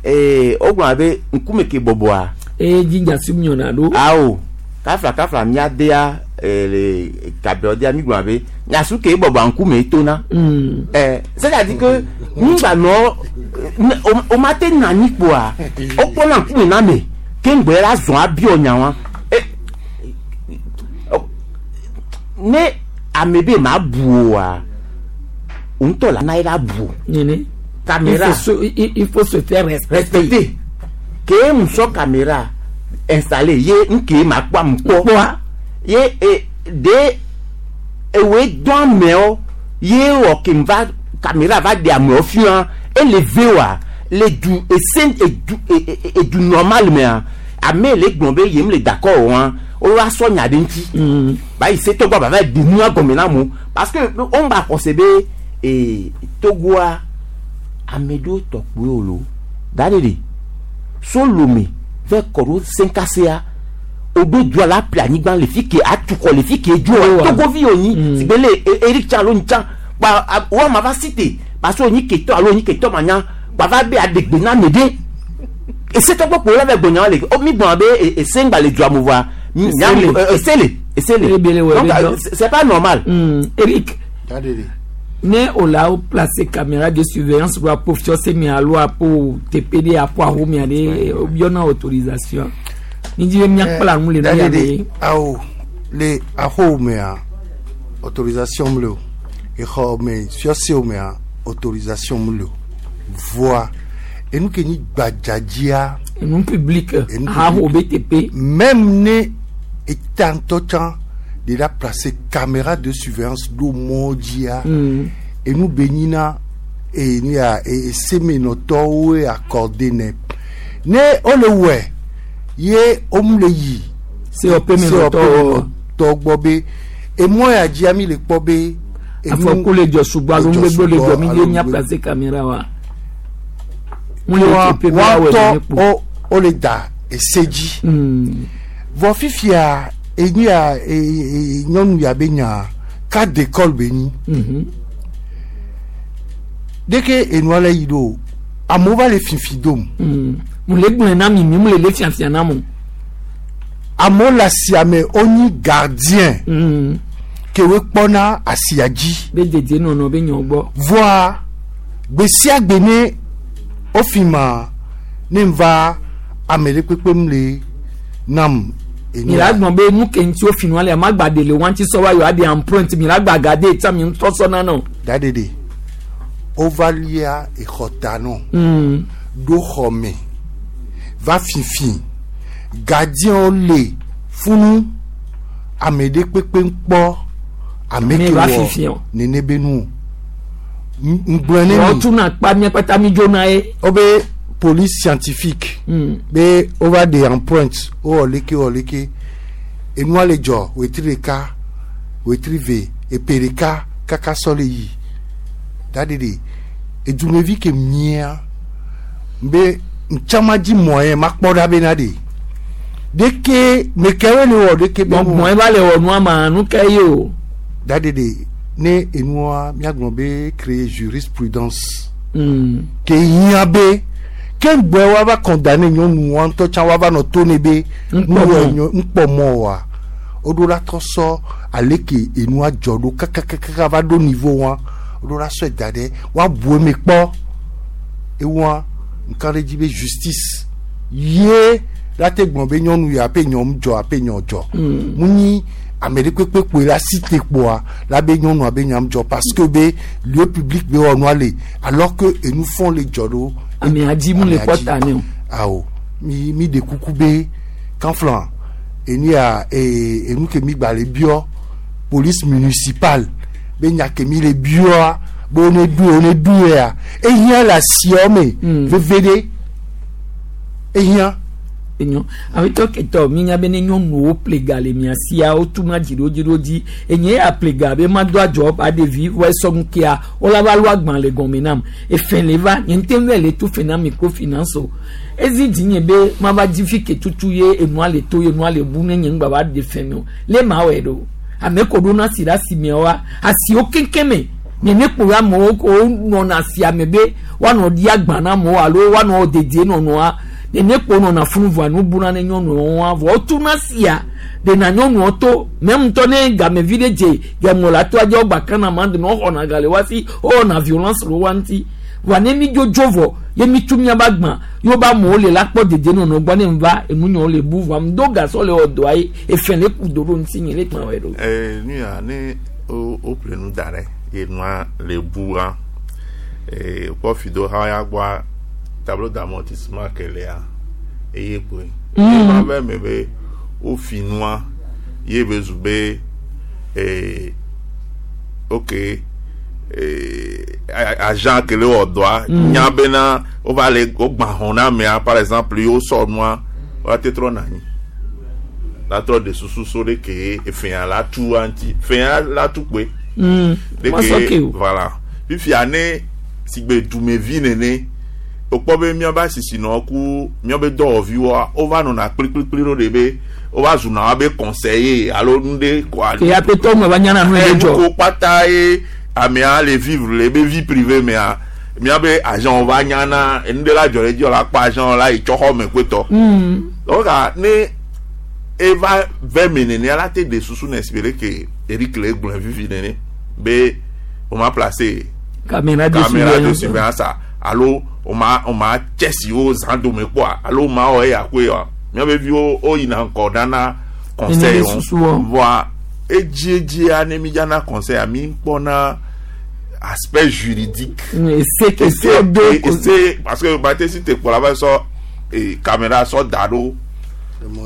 ee wogblɔna be ŋkume ke bɔbɔa eye dzinja si nyɔna ɖo. awo kafla kafla mía dea ee le kabiɔ dea mi gblɔna be nyasu ke bɔbɔa ŋkume tona Mm. eh, c'est-à-dire que ŋgba nɔ ne o- o ma te na anyi kpoa o kpɔna ŋkume na me ke ŋgbɛ la zɔn abiɔ nya wa e o- ne ame be ma bu oa ŋutɔ la na ye la bu Nene. Il caméra faut se, il, il faut se faire respecter. respecter ke musɔ caméra installé ye ŋke ma kpɔ am kpɔ Kpɔa. ye e de ewoe dɔn amewo ye wɔ ke va caméra va de amewo fia ele ve wa Le du ese edu edu normal mea ame le gblɔ be yem le d'accord wa o wa sɔ nya ɖe ŋuti ba yi se tɔgbɔ ba va di nua gɔme na mo parce que o ba xɔse be ee Togoa ame ɖewo tɔ kpoe o lo da ɖe de so Lome vɛ kɔ ɖo Senkasea o ɖo dua la ple anyigba le fi ke atukɔ le fi ke dzo Togovi wo nyi si be le Eric Tsa alo Ntsa kpa wo ama va cité parce que onyi ketɔ alo onyi ketɔ manya kpa va be aɖegbe na ame ɖe esetɔgbɔ kpo la va gbɔnya le o mi gbɔna be ese ŋgba le dua mo voa esele esele donc c'est pas normal. Mm. Eric ne o la o place caméra de surveillance do apo fiɔse mi alo apo T P D apo aho mi ale o biɔna autorisation ni di be miakpla nu le nu ya be. Awo le aho mea autorisation mu le o exɔ me fiɔse mea autorisation mu le o voa enu ke nyi gbadzadzia. Enu public aho B T P. Même ne état ŋutɔ tsã de la placer caméra de surveillance ɖo mɔ dzia enu be nyina enu ya esemenɔtɔwoe accordé nɛ ne wole wɔe ye womu le yi C O P menɔtɔwo tɔ gbɔ be emɔ ya dzia mi le kpɔ be. Afɔku le dzɔ sugbɔ alo nugbegbe le dzɔ mi de mia placer caméra wa. Wɔntɔ wole da ese dzi vɔ fifia enyi ya nyɔnu ya be nya cas d'école be nyi deke enua le yi ɖo amewo va le fifi dom. Mu le gblɔe na mi mi mu le le fiafia na mo. Amewo le asia me wonyi gardien ke wo kpɔna asia dzi. Be dedie nɔnɔ be nyɔ gbɔ. Voa gbe sia gbe ne wofi ma ne va ame ɖe kpekpe mu le nam. Mi la gbɔn be nu ke ŋuti wo fi nua le ama gba de le wa ŋuti sɔ wa yɔ aɖe empreinte mi la gba gade tsa mi ŋutɔ sɔ na nɔ. Daɖeɖe wova lia exɔta nɔ ɖo xɔ me va fifi gardien le funu ame ɖe kpekpe kpɔ ame ke wɔ nene be nu ŋgblɔ ne mi. Wọ́n tún náà kpa mía kpata mi dzona ye. Wo be police scientifique mm. be wova ɖe empreinte wowɔ leke wɔ leke enua le dzɔ wetri ɖeka wetri ve epe ɖeka kaka sɔ le yi daɖeɖe edumevi ke mia be ntsama dzi moyen makpɔ ɖa bena ɖe ɖeke mekɛwoe le wɔ ɖeke be. Mɔe va le wɔ nua ma nu ke ye o. Daɖeɖe ne enua miagblɔ be créer jurisprudence mm. ke hiã be ke ŋgbɛ wa va condamner nyɔnu wa ŋutɔ tsã wa va nɔ to ne be ŋkpɔ mɔ wa woɖo la trɔ sɔ ale ke enua dzɔ ɖo kakakaka va ɖo niveau wa woɖo la sɔe da ɖe wa bu eme kpɔ ewa nka ɖe dzi be justice ye la te gblɔ be nyɔnu ya ape nyɔ dzɔ ape nyɔ dzɔ mu nyi ame ɖe kpekpe kpoe la si te kpoa la be nyɔnua be nyam dzɔ parce que be lieu public be wɔ nua le alors que enu fɔn le dzɔ ɖo. Ame adzi mu le kpɔ ta ne o. Awo mi mi de kuku be kanflan enu ya ee enu ke mi gba le biɔ police municipale be nya ke mi le biɔa be wo ne du wo ne du ya ehiã le asiawo me veve ɖe ehiã. Enyo awetɔ ketɔ mi nya be ne nyɔnuwo ple ga le mia sia wotuna dzi ɖo dzi ɖo dzi enye ya ple ga be ma do adzɔ aɖevi wɔ esɔ nu kea wola va lo agban le gɔme nam efe le va nye ŋutɛ vɛ le tu fe na microfinance o ezi dzi nye be ma va dzi fi ke tutu ye enua le to ye enua le bu ne nye ŋgba va ɖe fɛ me o le ma wɔe ɖo ame ko ɖo na si ɖe asimea wa asiwo keŋkeŋ me nye ne kpo amewo ko nɔna asia me be woanɔ ɖi agba na amewo alo woanɔ dedie nɔnɔa nene kpo nɔna funu vɔa nu buna ne nyɔnuwo wa vɔ wotuna sia ɖena nyɔnuwo to mɛ ŋutɔ ne gamevi ɖe dze gamɔ la to adze wogba kana ma de ne woxɔna ga le wa si wowɔna violence le wa ŋuti vɔa ne mi dzodzo vɔ ye mi tu miaba gbã ye wobe amewo le la kpɔ dedie nɔnɔ gbɔ ne va enunyawo le bu vɔa ŋdo gasɔ le wɔ dɔa ye efe le ku do ɖo ŋuti nye le kplɔ wɔ ɖo. Ee nu ya ne wo wo ƒle nu da ɖe ye nua le bua ee kpɔ fi do ha ya gbɔa tableau d'amortissement ke lea eye kpoe. Mm. Ema be me be wofi nua ye be zu be ee ok eh, a- agent ke le wɔ dɔa nya bena wova le wogbã xɔ na amea par exemple ye wosɔ nua woate trɔ na anyi la trɔ de susu so ɖe ke efɛa la tu ŋuti fɛa la tu kpoe Mm. de Ma sɔ ke o. voilà fifia ne sigbe dumevi nene wokpɔ be míabe asisinɔ ku míabe dɔwɔviwoa wova nɔna kplikplikpli ɖo ɖe be wova zuna woabe conseiller alo nu ɖe koa Ke ya petɔ me va nyana nu Eh, ye dzɔ. nuko kpata ye amea le vivre le ebe vie privée mea míabe agent va nyana enu ɖe la dzɔ ɖe dzi la kpɔ agent la yi tsɔ xɔ me koetɔ Mm. donc ah, ne eva vɛ me nene ala te de susu na espérer que Eric le gblɔe vivi nene be o ma placer Caméra de caméra de surveillance. surveillance a alo o ma o ma tse siwo zã dome kpɔa alo o ma wɔ eya koe wa míabe viwo wo yina ŋgɔ nana conseil Nene wɔn susu wɔ. voa edziedzia ne mi dzana conseil a mi kpɔna aspect juridique Mm, Ese ke ese se do. ese parce que bate si te kpɔ la va sɔ eh, caméra sɔ da ɖo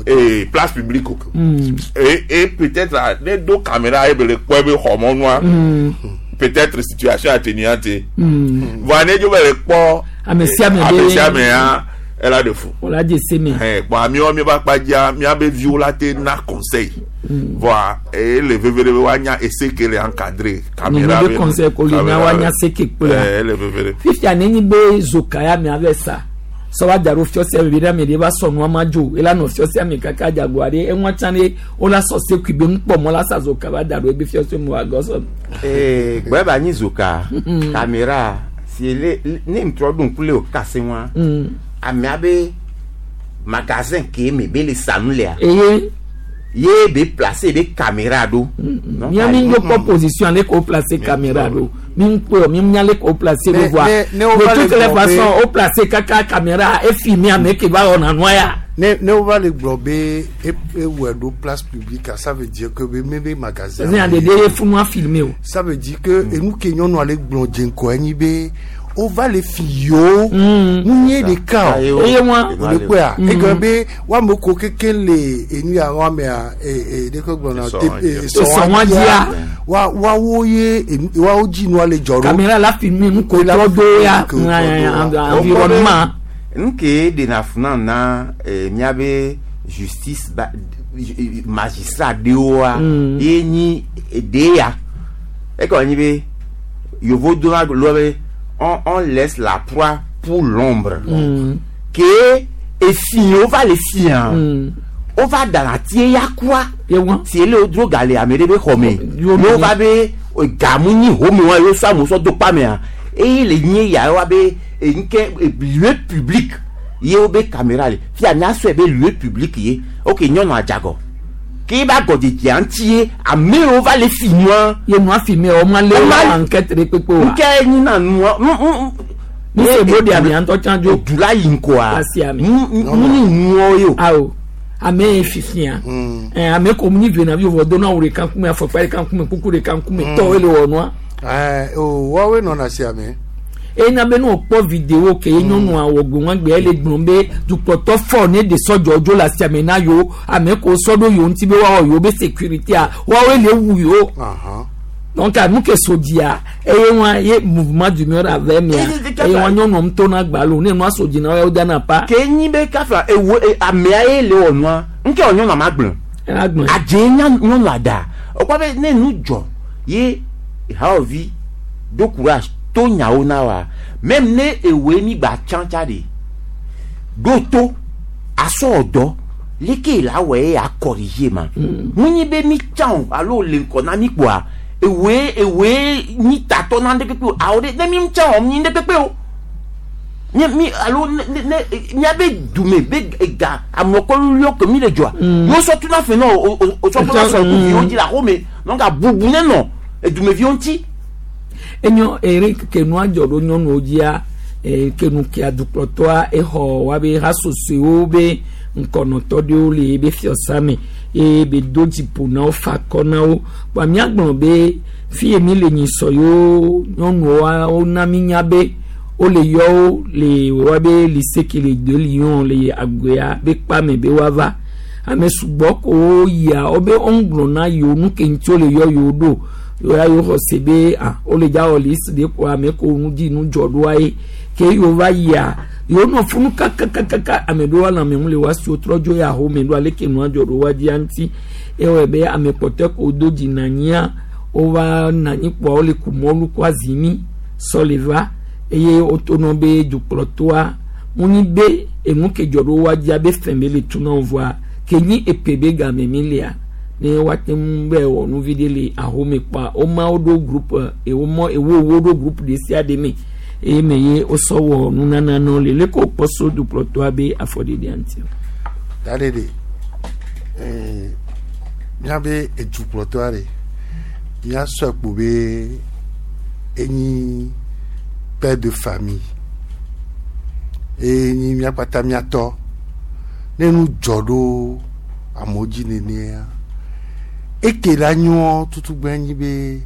eh, place publique o Mm. et et peut-être ah, ne do caméra ye be le kpɔ ebe xɔmɔnua Mm. peut-être situation atténuante Mm. voa ne dzo be le kpɔ Ame sia ame ame be- sia ame ya ela de fu Wòla dze se me. hɛn kpɔ amiwo mi ba kpa dzia miabe viwo la te na conseil voa ele veve ɖe be woanya ese ke le encadré caméra Nene be conseil ko li na woanya se ke kple. Eh, ele veve ɖe Fifia nenyi be zoka ya me ave sa. Sɔ va da ɖo fiɔsia me bi ɖe ame ɖe va sɔ nua ma dzo. Ela nɔ fiɔsia me kaka dzago aɖe eŋua tsã ɖe wola sɔ sekui be nukpɔmɔ la sa zoka va da ɖo ebe fiɔsia me wòagɔ sɔ. Ee, gbɛ ba nyi zoka caméra si le ne ŋtrɔ ɖo ŋku le o kase wa Mm. amea be magasin ke me be le sanu lea Eye ye be place be caméra ɖo. Donc, mía mi ayi- ŋgo kpɔ position ale ko place caméra ɖo. Mi ŋkpɔ mi nya le ko place ɖo Ne- voa. ne- ne wova De le toutes les gblɔ be- façons o place kaka caméra efilmer ame ke va wɔna nua ya. ne ne wova le gblɔ be e- ewɔe ɖo place publique a, ça veut dire que be mebe magasin Ɛsɛ aɖeɖe ye funua filmer o. ça veut dire que enu ke nyɔnua le gblɔ dze ŋkɔ enyi be wova le fi yewo nu nye ɖeka Ayi o wo- Eye wa- o le kpɔa egɔme be woame ko keke le enu ya woamea ee ɖeke gblɔna Sɔ te wɔn dzia. ee Sɔ wɔn dzia. wa woawo ye enu woawo dzi nua le dzɔ ɖo Caméra la filmer nu ko La trɔ do ya filmer ko trɔ do ya. environnement. nu ke ɖena fu na na eh, míabe justice ba eh, magistrat ɖewoa Mm. ye nyi ɖe ya ekɔ nyi be yovo dona lɔ be on on laisse la proie pour l'ombre Mm. ke efiwo va le fia Mm. wova dana tie ya kua Ye wa. si ele wo dro gale ame ɖe be xɔ me Yo ye wova be eh, gamu nyi home wa ye wosɔ amewo sɔ do kpa mea eye le nye ya wa be nke lieu public ye wo be caméra le fia míasɔe be lieu public ye ok nyɔnu adzagɔ ke ba gɔdzedzea ŋuti ye ame yiwo va le fi nua Ye nua filmer o ma le O ma- enquête ɖe kpekpe wa. nke nyina nua mm, mm, Mi se bo de amea ŋutɔ tsã dzo. du la yi ŋkɔa Asi ame. nu nu nuwo ye o Awo ame ye fifia. Ɛ ame ko mu nyi vena vi vɔ do na awu ɖeka ŋkume afɔkpa ɖeka ŋkume kuku ɖeka ŋkume tɔwo le wɔ nua. ɛɛ o woawoe nɔna sia me Ena be ne wòkpɔ vidéo ke ye nyɔnua wɔ gbe ele gblɔm be dukplɔtɔ fɔ ne de sɔdzɔ dzo le asiame na yewo ame ko sɔ ɖo yewo ŋuti be woawɔ yewo be sécurité woawoe le wu yewo. Ahan. Donc nu ke so dzia eye wa ye mouvement d'humeur ave mia eye wa nyɔnua ŋutɔ na gbalo ne nua so dzi na wo dana pa. ke nyi be kafla ewo e- amea ye le wɔ nua nke wɔ nyɔnua ma gblɔ. Ela gblɔe. adze nya nyɔnua da wokpɔ be ne nu dzɔ ye hawɔvi do courage to nyawo na wa même ne ewoe mi gba tsã tsa de ɖo to asɔ dɔ leke la wɔ ye a corriger ma mu nyi be mi tsã o alo le ŋkɔ na mi kpoa ewoe ewoe nyi tatɔ na ŋɖe kpekpe o awo ɖe ne mi tsã o mi ŋɖe kpekpe o nye mi alo ne ne ne miabe dume be ega amekɔlulio ke mi le dzɔa yewo sɔ tuna fe nɔ o o o sɔ tuna sɔ kuviwo dzi le axome donc abubu ne nɔ edumeviwo ŋuti. Enyo ere ke nua dzɔ ɖo nyɔnuwo dzia eh, ke nu kea dukplɔtɔa exɔ woabe hasosoewo be ŋkɔnɔtɔ ɖewo le ebe fiɔsa me eye be do dziƒo na wo fa akɔ na wo kpa míagblɔ be fi ye mi le nyisɔ yewo nyɔnuwoa wona mi nya be wole yɔ wo le woabe lycée ke le deux lions le agbea be kpa me be woava ame sugbɔ ko yia wobe woŋgblɔ na yewo nu ke ŋuti wole yɔ yewo ɖo yoya yo xɔ se be ah wole dza wɔ liste de kɔ ame ko nu dzi nu dzɔ ɖoa ye ke yewo va yia yewo nɔ funu kakakakaka ame ɖewo lãme ŋu le wa si wotrɔ dzo ya home ɖo aleke nua dzɔ ɖo wa dzia ŋuti ewɔe be ame kpɔtɔe ko do dzi na anyia wova na anyi kpoa wole ku mɔlu kɔ azimi sɔ le va eye wotonɔ be dukplɔtɔa ŋunyi be enu ke dzɔ ɖo wa dzia be fɛn be le tu na wo vɔa ke nyi epe be game mi lia ne woate ŋu be wɔ nu vi ɖe le ahome kpoa woma wo ɖo groupe ewo mɔ ewo wo ɖo groupe ɖe sia ɖe me eye me ye wosɔ wɔ nunana nɔ le leke wokpɔ so dukplɔtɔa be afɔɖeɖea ŋuti. Da ɖe ɖe ee míabe edukplɔtɔa ɖe míasɔe kpo be enyi père de famille eye nyi míakpata míatɔ ne nu dzɔ ɖo amewo dzi nenea eke la nyɔ tutugbe nyi be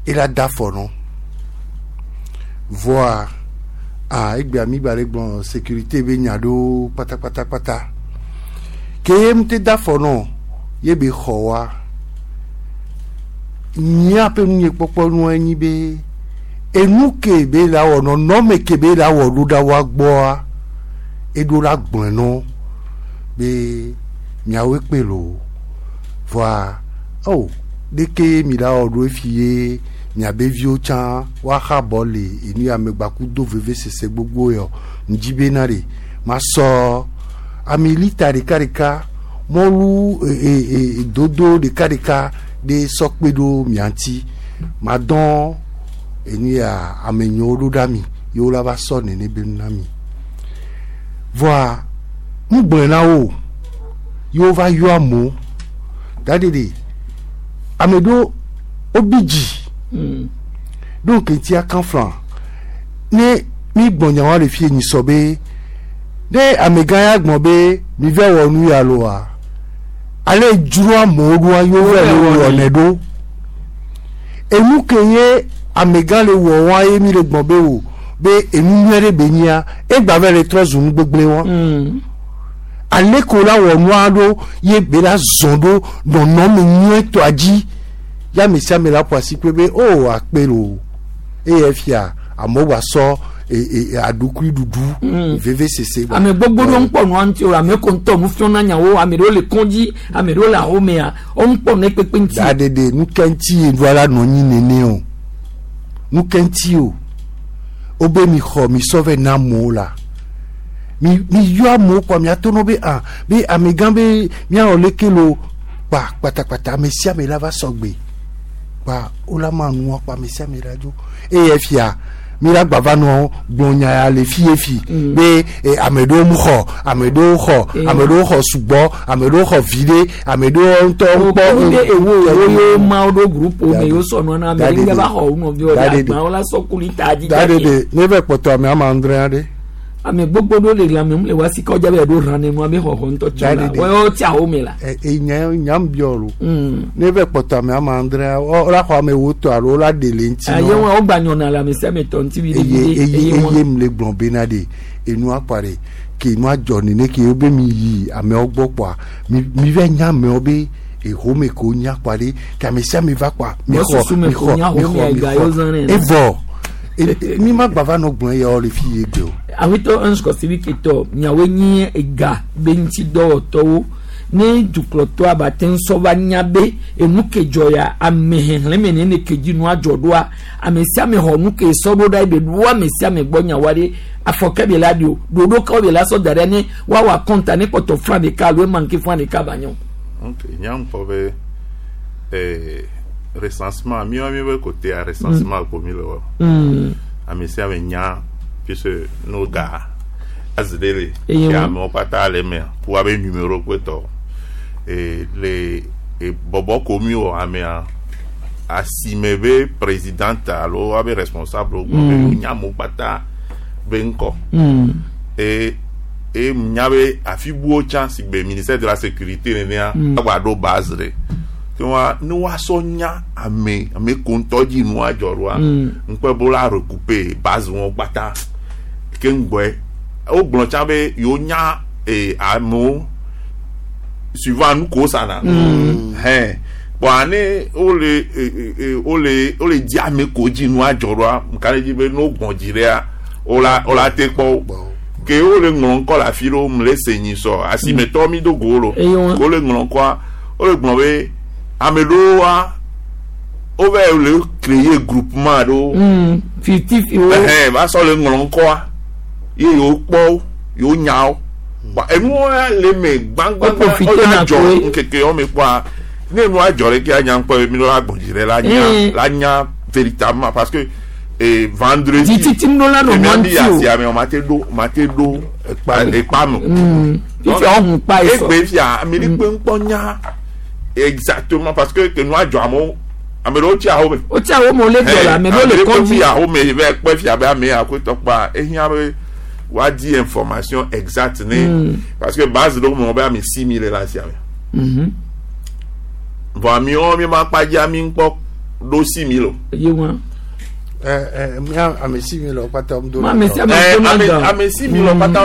ela da afɔ nɔ vɔa ah egbea mi gba le gblɔ sécurité be nya ɖewo kpatakpatakpata ke ye ŋute da afɔ nɔ ye be xɔ wa míaƒe nunyekpɔkpɔ nua nyi be enu ke be la wɔ nɔnɔme ke be la wɔ ɖo ɖa wa gbɔa eɖo la gblɔe nɔ be miawoe kpe loo vɔa o ɖeke mi la wɔ ɖo efi ye miabe viwo tsã woaxa bɔ le enu ya me gbaku do vevesese gbogbo yɔ ŋdzi bena ɖe masɔ ami lita ɖeka ɖeka mɔlu e, e, e, dodo ɖeka ɖeka ɖe sɔ kpe ɖo mia ŋuti madɔn enu ya ame nyewo ɖo ɖa mi ye wo la va sɔ nene be nu na mi vɔa ŋugblɔe na wo ye wo va yɔ amewo daɖeɖe ame ɖewo wobi dzi Mm. ɖo keŋtia kan flan ne mi gbɔ nyawa le fie nyi sɔ be ne amegã ya gbɔ be mi vɛ wɔ nu ya loa ale dzro amewo ɖoa yewo vɛ le wɔnɛ ɖo enu ke ye amegã le wɔ wa ye mi le gbɔ be o be enu nyuie ɖe be nyia egba vɛ le trɔ zu nu gbegblẽ wa Mm. ale ko la wɔ nua ɖo ye be la zɔn ɖo nɔnɔme nyuietɔa dzi ya ame sia ame la ƒo asi kpe be o akpe lo eye fia amewo gba sɔ e e aɖukui ɖuɖu veve sese gba. ame gbogbo ɖewo ŋkpɔ nua ŋuti o ame ko ŋutɔ nu fiɔna nyawo ame ɖewo le kɔndzi ame ɖewo le ahomea wo ŋkpɔ ne kpekpe ŋuti. Da ɖeɖe nu ke ŋuti ye ɖoa la nɔ anyi nene o nu ke ŋuti o wobe mi xɔ mi sɔ vɛ na amewo la mi mi yɔ amewo kpɔ miato nɔ be ah be amegã be miawɔ leke lo kpa kpatakpata ame sia ame la va sɔgbe kpa wola ma nua kpa ame sia ame la dzo eye fia mi la gbava nɔ gblɔ nya ya le fi ye fi be eh, ame ɖewo mu xɔ ame ɖewo xɔ Eh. ame ɖewo xɔ sugbɔ ame ɖewo xɔ vi ɖe ame ɖewo ŋutɔ ŋkpɔ wo be ewo ewo ye ma wo ɖo groupe me Daɖeɖe. yewo sɔ nua na ame ɖe Daɖeɖe. va xɔ wo nɔviwo ɖe Daɖeɖe. agbawo la sɔ kuli ta dzi da ɖeɖe ne vɛ kpɔtɔ ame ama andre aɖe ame gbogbo ɖewo le lãme mu le wa si kɔdza be ɖo rã ne nua be xɔxɔ ŋutɔ tsɔ la Daɖeɖe. wɔyɔ tsi ahome la. ɛ e nya nyam biɔ lo Mm. ne vɛ kpɔtɔ ame ama andre ɔ la xɔ ame wo tɔ alo la ɖe le ŋuti Aye nɔ wọn wo gba nyɔna le ame sia ame tɔ ŋuti vi ɖe eye vi ɖe eye eye eye wọn. mu le gblɔ bena ɖe enua kpa ɖe ke enua dzɔ nene ke wo be mi yi amewo gbɔ kpoa mi mi vɛ nya amewo be ehome ko nya kpa ɖe ke ame sia ame va kpoa mi Wọ́n xɔ susu me mi ko xɔ nya mi home xɔ mi ega yóò zã xɔ nɛ. evɔ e- e- mi ma gba va nɔ gblɔ ya le fi ye gbe o awetɔ ŋsukɔsibiketɔ miawoe nye ega be ŋuti dɔwɔtɔwo ne dukplɔtɔ abate ŋusɔ va nya be enu ke dzɔ ya ame xexlẽme ne ne ke dzi nua dzɔ ɖoa ame sia ame xɔ nu ke sɔ ɖo ɖa ebe ɖo ame sia ame gbɔ nyawoa ɖe afɔkɛ be la ɖi o ɖoɖo kawo be la sɔ da ɖe ne woawɔ akɔnta ne kpɔtɔ fã ɖeka alo emanke fã ɖeka ba nyɔ. Ok, nyam kpɔ be eh, recensement míawo míaƒe côté recensement ko mi le wɔ. Mm. Ame sia ame nya puisque no ga azi ɖe le Eye ke wo- amewo katã le emea ku woabe numéro kpe tɔ. E, le e, bɔbɔ ko mi wɔ amea asime be présidente alo woabe responsable gbɔ be wonya amewo kpata be ŋkɔ. Mm. e e nya be afi buwo tsã si gbe ministère de la sécurité nenea agba ɖo base ɖe ke wa ne woasɔ nya ame ame ko ŋutɔ dzi nua dzɔ ɖoa ŋkpɛ bo la recouper base wɔn kpata ke ŋgbɔe wogblɔ tsã be yewo nya e amewo suivant nu ko sana hɛn Kpɔa ne wole e, e, e, wole wole di ame ko dzi nua dzɔ ɖoa ŋka ɖe dzi be ne wogbɔn dzi ɖea wola wola te kpɔ wo ke wole ŋlɔ ŋkɔ le afi ɖewo mu le se nyi sɔ asimetɔ mi do go lo Eye wɔn. ke wole ŋlɔ ŋkɔa wole gblɔ be ame ɖewoa wova le créer groupement ɖewo Mm, fifty wo ɛhɛn va sɔ le ŋlɔ ŋkɔa ye yewo kpɔ wo yewo nya wo Wa enuwo ya le me Wo gbãgbãgbã profiter ɔya na dzɔ koe. ŋkeke yɔ me kpɔa ne nua dzɔ ɖe ke anya ŋkpɔ ye mi ɖo la gbɔn dzi ɖe la nya Mm. la nya véritablement parce que eh, vendredi dzitsitsi ŋdɔ la nɔ emi mɔ abi ŋuti o asia me o ma te ɖo ma te ɖo Ekpa me. ekpa me Mm, fifia wohun kpa yi sɔ egbe fia ame ɖe kpe ŋkpɔ nya exactement parce que ke nua dzɔ amewo ame ɖewo tsi awo me wotsi awo me wole gblɔ la ame ɖewo le kɔdzi fi awo me va kpɛ fia be ame ya koe tɔkpa ehiã be woadi information exacte ne parce que base ɖewo me wɔ be ame six mille le asia me Mhm. vɔ amewo mi ma kpa dzi ami ŋkpɔ ɖo six mille o. ye wɔn ɛ ɛ mía ame si mi le wo kpata wo do Ma ame sia ame Eh, do na ame gan. ame six mille kpata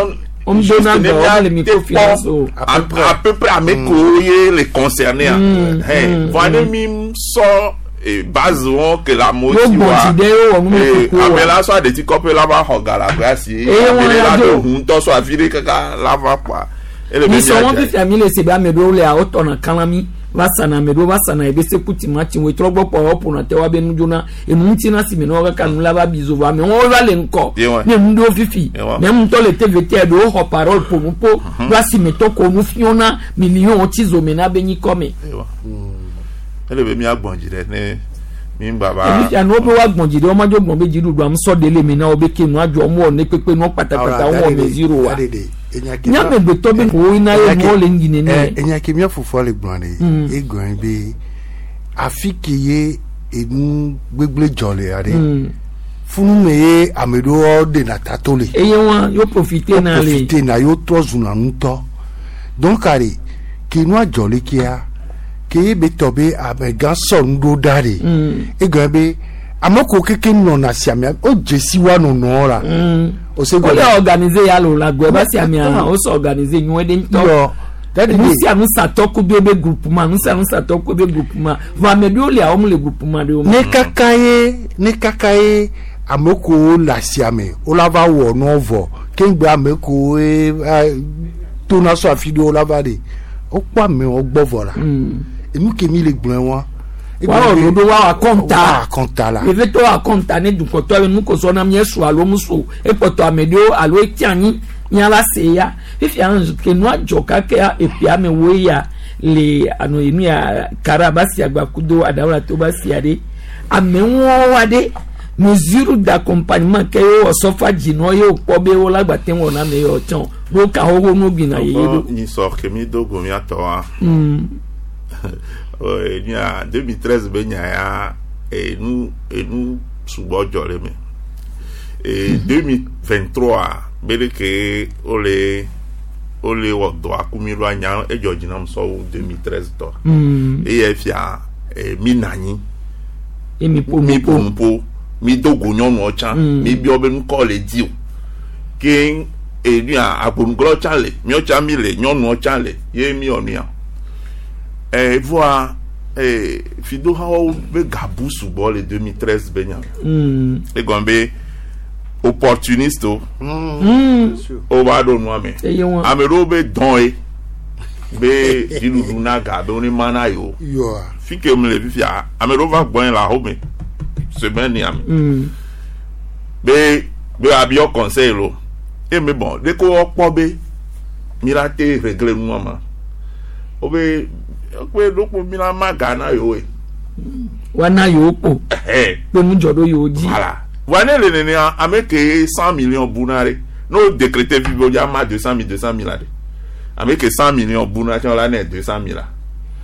Wo do na gan, wo le microfinance o. à peu près à peu près ame kowo ye le concerné a Mm, vɔ ne mi sɔ eh, base wɔn ke le amewo Wo si gbɔn wa dzi ɖe ye wɔ Eh, numekuku ame wa la sɔ aɖeti kɔƒe la va xɔ ga le aƒea si Eye ame wɔn ɖe ya la do. ɖo ʋu ŋutɔ sɔ afi ɖe kaka la va kpɔa ele be mi sɔ wɔn míadze. fifia mi le se be ame ɖewo lea wotɔna kalã mi va sana ame ɖewo va sana ebe seku timati wo trɔ gbɔ kpɔ woƒona te woabe nudzona enu ŋuti na si me na wo kaka nu la va bi zo vɔ amewo va le ŋkɔ Ye wɔn. ne nu ɖewo fifi Ye wɔn. ne ŋutɔ le tvt ɖewo xɔ parole ƒo nu ƒo va si me tɔ ko nu fiona million tsi zo me na be nyikɔ me Ewa. ele be míagbɔn dzi ɖe ne mi ŋgba va fifia nu wo be woagbɔn dzi ɖe womadzo gbɔn be dziɖuɖu am sɔ ɖe le me na wo be ke nua dzɔ mo wɔ ne kpekpe nua kpatakpata wo wɔ me zero wa nyamegbetɔ be wo yina ye nuwo le ŋgyi nene enya ke mía fofoa le gblɔ ɖe Mm. egblɔ be afi ke ye enu gbegble dzɔ le ya ɖe Mm. funu me ye ame ɖewo ɖena ta to le eye wɔn yo profite na le profite na yewo trɔ zuna ŋutɔ donc are ke nua dzɔ le kea ke ye be tɔ be amegã sɔ nu ɖo ɖa ɖe Mm. egblɔ be ame ko keke nɔna siamea o dzesi wa nɔnɔ la Mm. o se wole gɔme organise ya lo la gbɛ basi amea wo sɔ organise nyuie ɖe ŋutɔ yɔ dadi nu de sia nu satɔ ku do ebe groupement nu sia nu satɔ ku ebe groupement vɔ ame ɖewo lia wɔm le groupement ɖewo me ne kaka ye ne kaka ye ame kowo le asiame wola va wɔ nua vɔ keŋgbe ame kowo ye va tona sɔ afi ɖe wola va ɖe wokpɔ amewo gbɔ vɔ la enu ke mi le gblɔe wa woawɔ ɖoɖo woawɔ akɔnta wa akɔnta la evetɔ wɔ akɔnta ne dukɔtɔ be nukosɔ na mía su alo mu su ekpɔtɔ ame ɖewo alo eti anyi mía la se ya fifia ke nua dzɔ kake epia me wo ya le ano enu ya karabasi agbakudo adawulato basi aɖe amewo wa ɖe mesure d'accompagnement ke ye wɔ sɔfa dzinɔ ye wokpɔ be wo la gba te wɔ na ame yɔ tsɔn ɖo ka xoxo nu gbina yeye ɖo. Nyi sɔ ke mi do go miatɔ wa Mm. nya deux mille treize be nya ya enu enu sugbɔ dzɔ le me e deux mille vingt trois be ɖe ke wole wole wɔ dɔ aku mi ɖo anya edzɔ dzi nam sɔwu deux mille treize tɔ Mm. eye fia e, mi na anyi ye mi ƒo mi nu ƒo. ƒo nuƒo mi do go nyɔnuwo tsã Mm. mi biɔ be nukɔ le di o ke enuya agbonuglɔ tsã le miɔ tsã mi le nyɔnuwo tsã le ye mi wɔ nuya ɛ voa ɛ fidohawo be gabu sugbɔ le deux mille treize be nya Mm. egɔme be opportuniste o Mm. wo va ɖo nua me eye wɔn. ame ɖewo be dɔn ye be dziɖuɖu na ga be wo ne ma na yewo yɔa fi ke mu le fifia ame ɖewo va gbɔn le axome semaine ya me. Mm. be be abiɔ conseil lo e mi bɔn de ko wɔkpɔ be mi la te regle nua ma o be o be ɖokpo mi la ma ga na yewo ye wana yewo kpo ɛhɛ kpe nudzɔ ɖo yewo dzi. voilà wa ne le nenea ame ke cent millions bu na ɖe n'o décrété fi be o dza ma deux cent mille deux cent mille la ɖe ame ke cent millions bu na tsã la ne deux cent mille la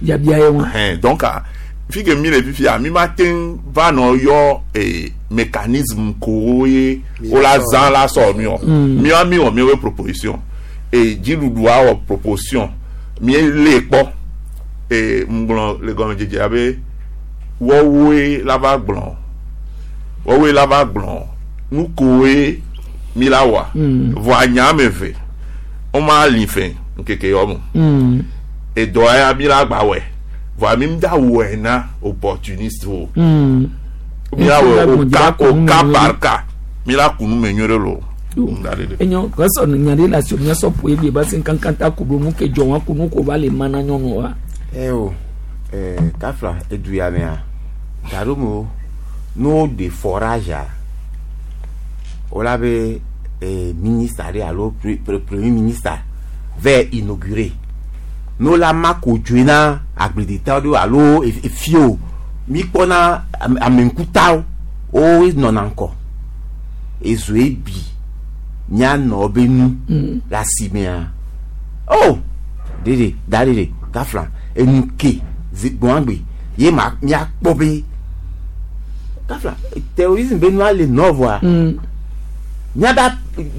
biabia ye wɔn. ɛhɛn donc ah, fi ke mi le fifia mi ma te ŋu va nɔ yɔ eh, mécanisme kowo ye wo la zã la sɔ mi wɔ miwa mi wɔ miwo proposition e dziɖuɖua wɔ proposition mi lé kpɔ e ŋgblɔ le gɔmedzedze abe wɔwoe la va gblɔ wɔwoe la va gblɔ nu kowoe mi la wɔa vɔa nya ame eve woma li fɛ ŋkeke yɔ me Mm. edɔ ya mi la gba wɔe Vɔa mi da wɔe na opportuniste o. Mm. Mi la wɔ Ŋutsu au cas la au cas gbɔn dzi par cas. Mi la kunu me nyuie ɖe lo. Da ɖe ɖe. Enyo kɔsɔ nya ɖe le asi miasɔ ƒo egbe ba se kankan ta ko ɖo nu ke dzɔ wa ko nu ko va le mana nyɔnu wa. Eh o, eh, kafla edu ya mea, gaɖo no de forage a, wola be eh, ministre ɖe alo pre, pre, premier ministre va inaugurer. No la ma ko dzoe na agbledetawo ɖewo alo ef- efio mi kpɔna ame ameŋkutawo wo nɔna ŋkɔ. Ezoe bi mianɔ be nu le asimea. Oh, ɖeɖe da ɖeɖe kafla enu ke zi gbɔ̃agbe ye ma miakpɔ be kafla terrorisme be nua le nɔ vɔa Mm. miabe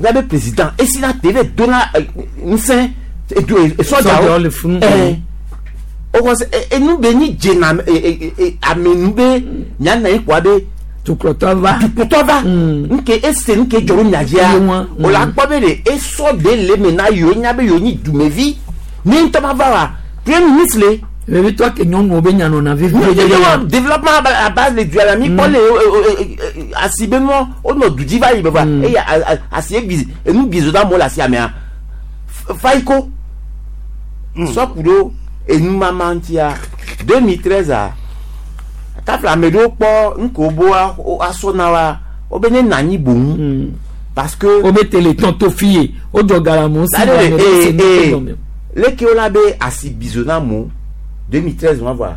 miabe président esi na te ve dona eh, ŋusẽ edu Sɔdzawo sɔdzawo le funu. ɛɛ wokɔ se enu be nyi dzena ame nu be miana yi kɔa be Tuklɔtɔ va. dukutɔ va Mm. nke ese nke dzɔ ɖo mia dzia Ye wa, o la mm. kpɔ be de esɔ de le me na yewo nya be yewo nyi dumevi ne ŋutɔ ma va wa premier ministre le Vevitɔ ke nyɔnuwo be nya nɔna vevie. développement développement à ba- à base de du la mi kpɔ le asi be nua wonɔ du dzi va yi be va eye a- a- asi bi enu bizo da amewo le asia mea F- fayiko sɔku ɖo enumama ŋutia deux mille treize a kafla ame ɖewo kpɔ nuke wo asɔ na wa wobe ne na anyi boŋ Mm. parce que Wo be téléthon to fi ye o dzɔ galamu si Là, ame ɖe eh, se nu eh, ke gɔme. leke wo la be asi bizo na mo deux mille treize wa voa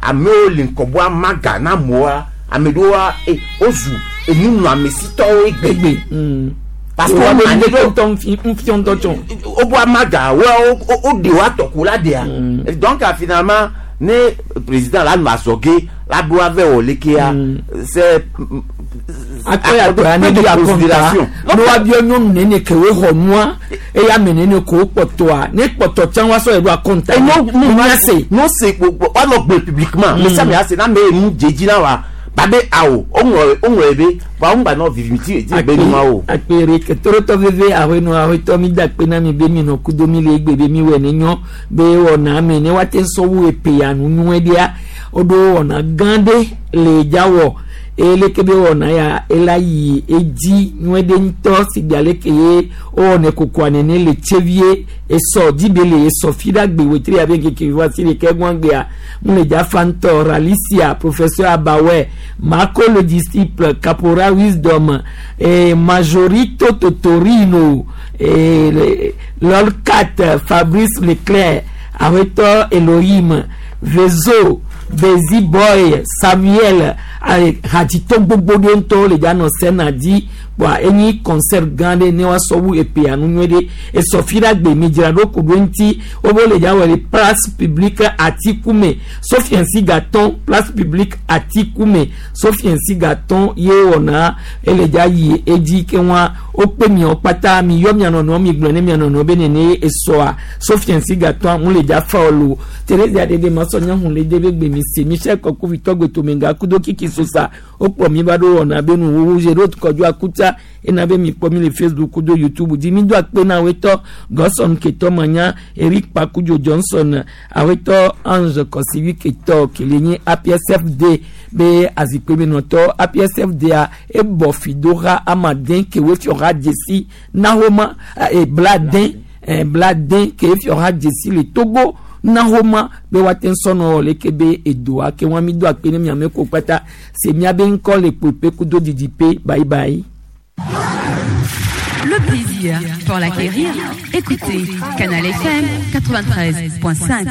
amewo le ŋkɔbɔ amaga na amewoa ame ɖewoa eh, wozu enunɔamesitɔwo egbe Egbe. Mm. parce que Wo be wo nu ke ŋutɔ ŋfi ŋfi ŋutɔ tsɔ. wobo amaga wo wo woɖe wo atɔko la ɖea donc ah, finalement ne président la nɔ azɔge la ɖo ave wɔ lekea c'est Akɔ ya tɔ ya ne bi akɔnta. Ne wa biɔ nyɔnu nene ke wo xɔ nua eye ame nene ko wo kpɔtɔa ne kpɔtɔ tsã wa sɔ yi ɖo akɔnta. no no ya se. no se woanɔ gbe publiquement mais ça me ase na me nu dzedzi na wa ba be awo woŋlɔ woŋlɔ be wa ŋgba nɔ viviti ti be nua o akpere ketorotɔ veve ahɔenɔ ahɔetɔ mi da akpe na mi be mi nɔ kudo mi le egbe be mi wɔ ne nyɔ be wɔna ame ne wa te sɔ wu epe ya nu nyuie ɖea woɖo wɔna gã ɖe le dzawɔ eye leke be wɔna ya ela yi edzi nyuie ɖe ŋutɔ si gbe aleke ye wowɔnɛ kokoa nene le tsevie esɔ dzibe le esɔ fi ɖe agbe wetri abe nkeke va si ɖeke gbɔngbea mu le dzafa ŋutɔ ralicia professeur abawe marco le disciple caporal wisdom eh, majorito totorino eh, le- lolcat fabrice leclerc awetɔ elohim vezo bezi boy samuel eh, hadzitɔ gbogbo ɖe ŋutɔ le dza nɔ sena dzi kpoa enyi concert gã ɖe ne woasɔ wu epea nu nyuie ɖe esɔ fi ɖe agbe mi dzra ɖo ku ɖo ŋuti wobe le dza wɔ le place publique atikume sofiansi gatɔn place publique atikume sofiansi gatɔn ye wɔna ele dza yi edzi ke wa wokpe miawo kpata mi yɔ mia nɔnɔewo mi gblɔ ne mia nɔnɔewo be nene esɔa sofiansi gatɔn mu le dza fa wo lo teresa ɖeɖe ma sɔ nyahun le de be gbe mi se michel kɔkuvitɔ gbetomenga kudo kiki sosa wokplɔ mi va ɖo wɔna be nuwuwu dze ɖo kɔdzo akutsa ena be mi kpɔ mi le facebook kudo youtube dzi mi do akpe na awetɔ gɔsɔn ketɔ manya eric pakudzo johnson awetɔ ange kɔsiwi ketɔ kele nye apsfd be azikpemenɔtɔ apsfda ebɔ fidoha amaden kewe fiɔha dzesi nahoma eh, bladen eh, bladen ke fiɔha dzesi le togo nahoma be woate ŋu sɔnɔ leke be edoa ke wɔn mi do akpe ne miame ko kpata se miabe ŋkɔ le kpepe kudo didipe bye bye. Le plaisir, pour l'acquérir, écoutez Canal F M quatre-vingt-treize point cinq.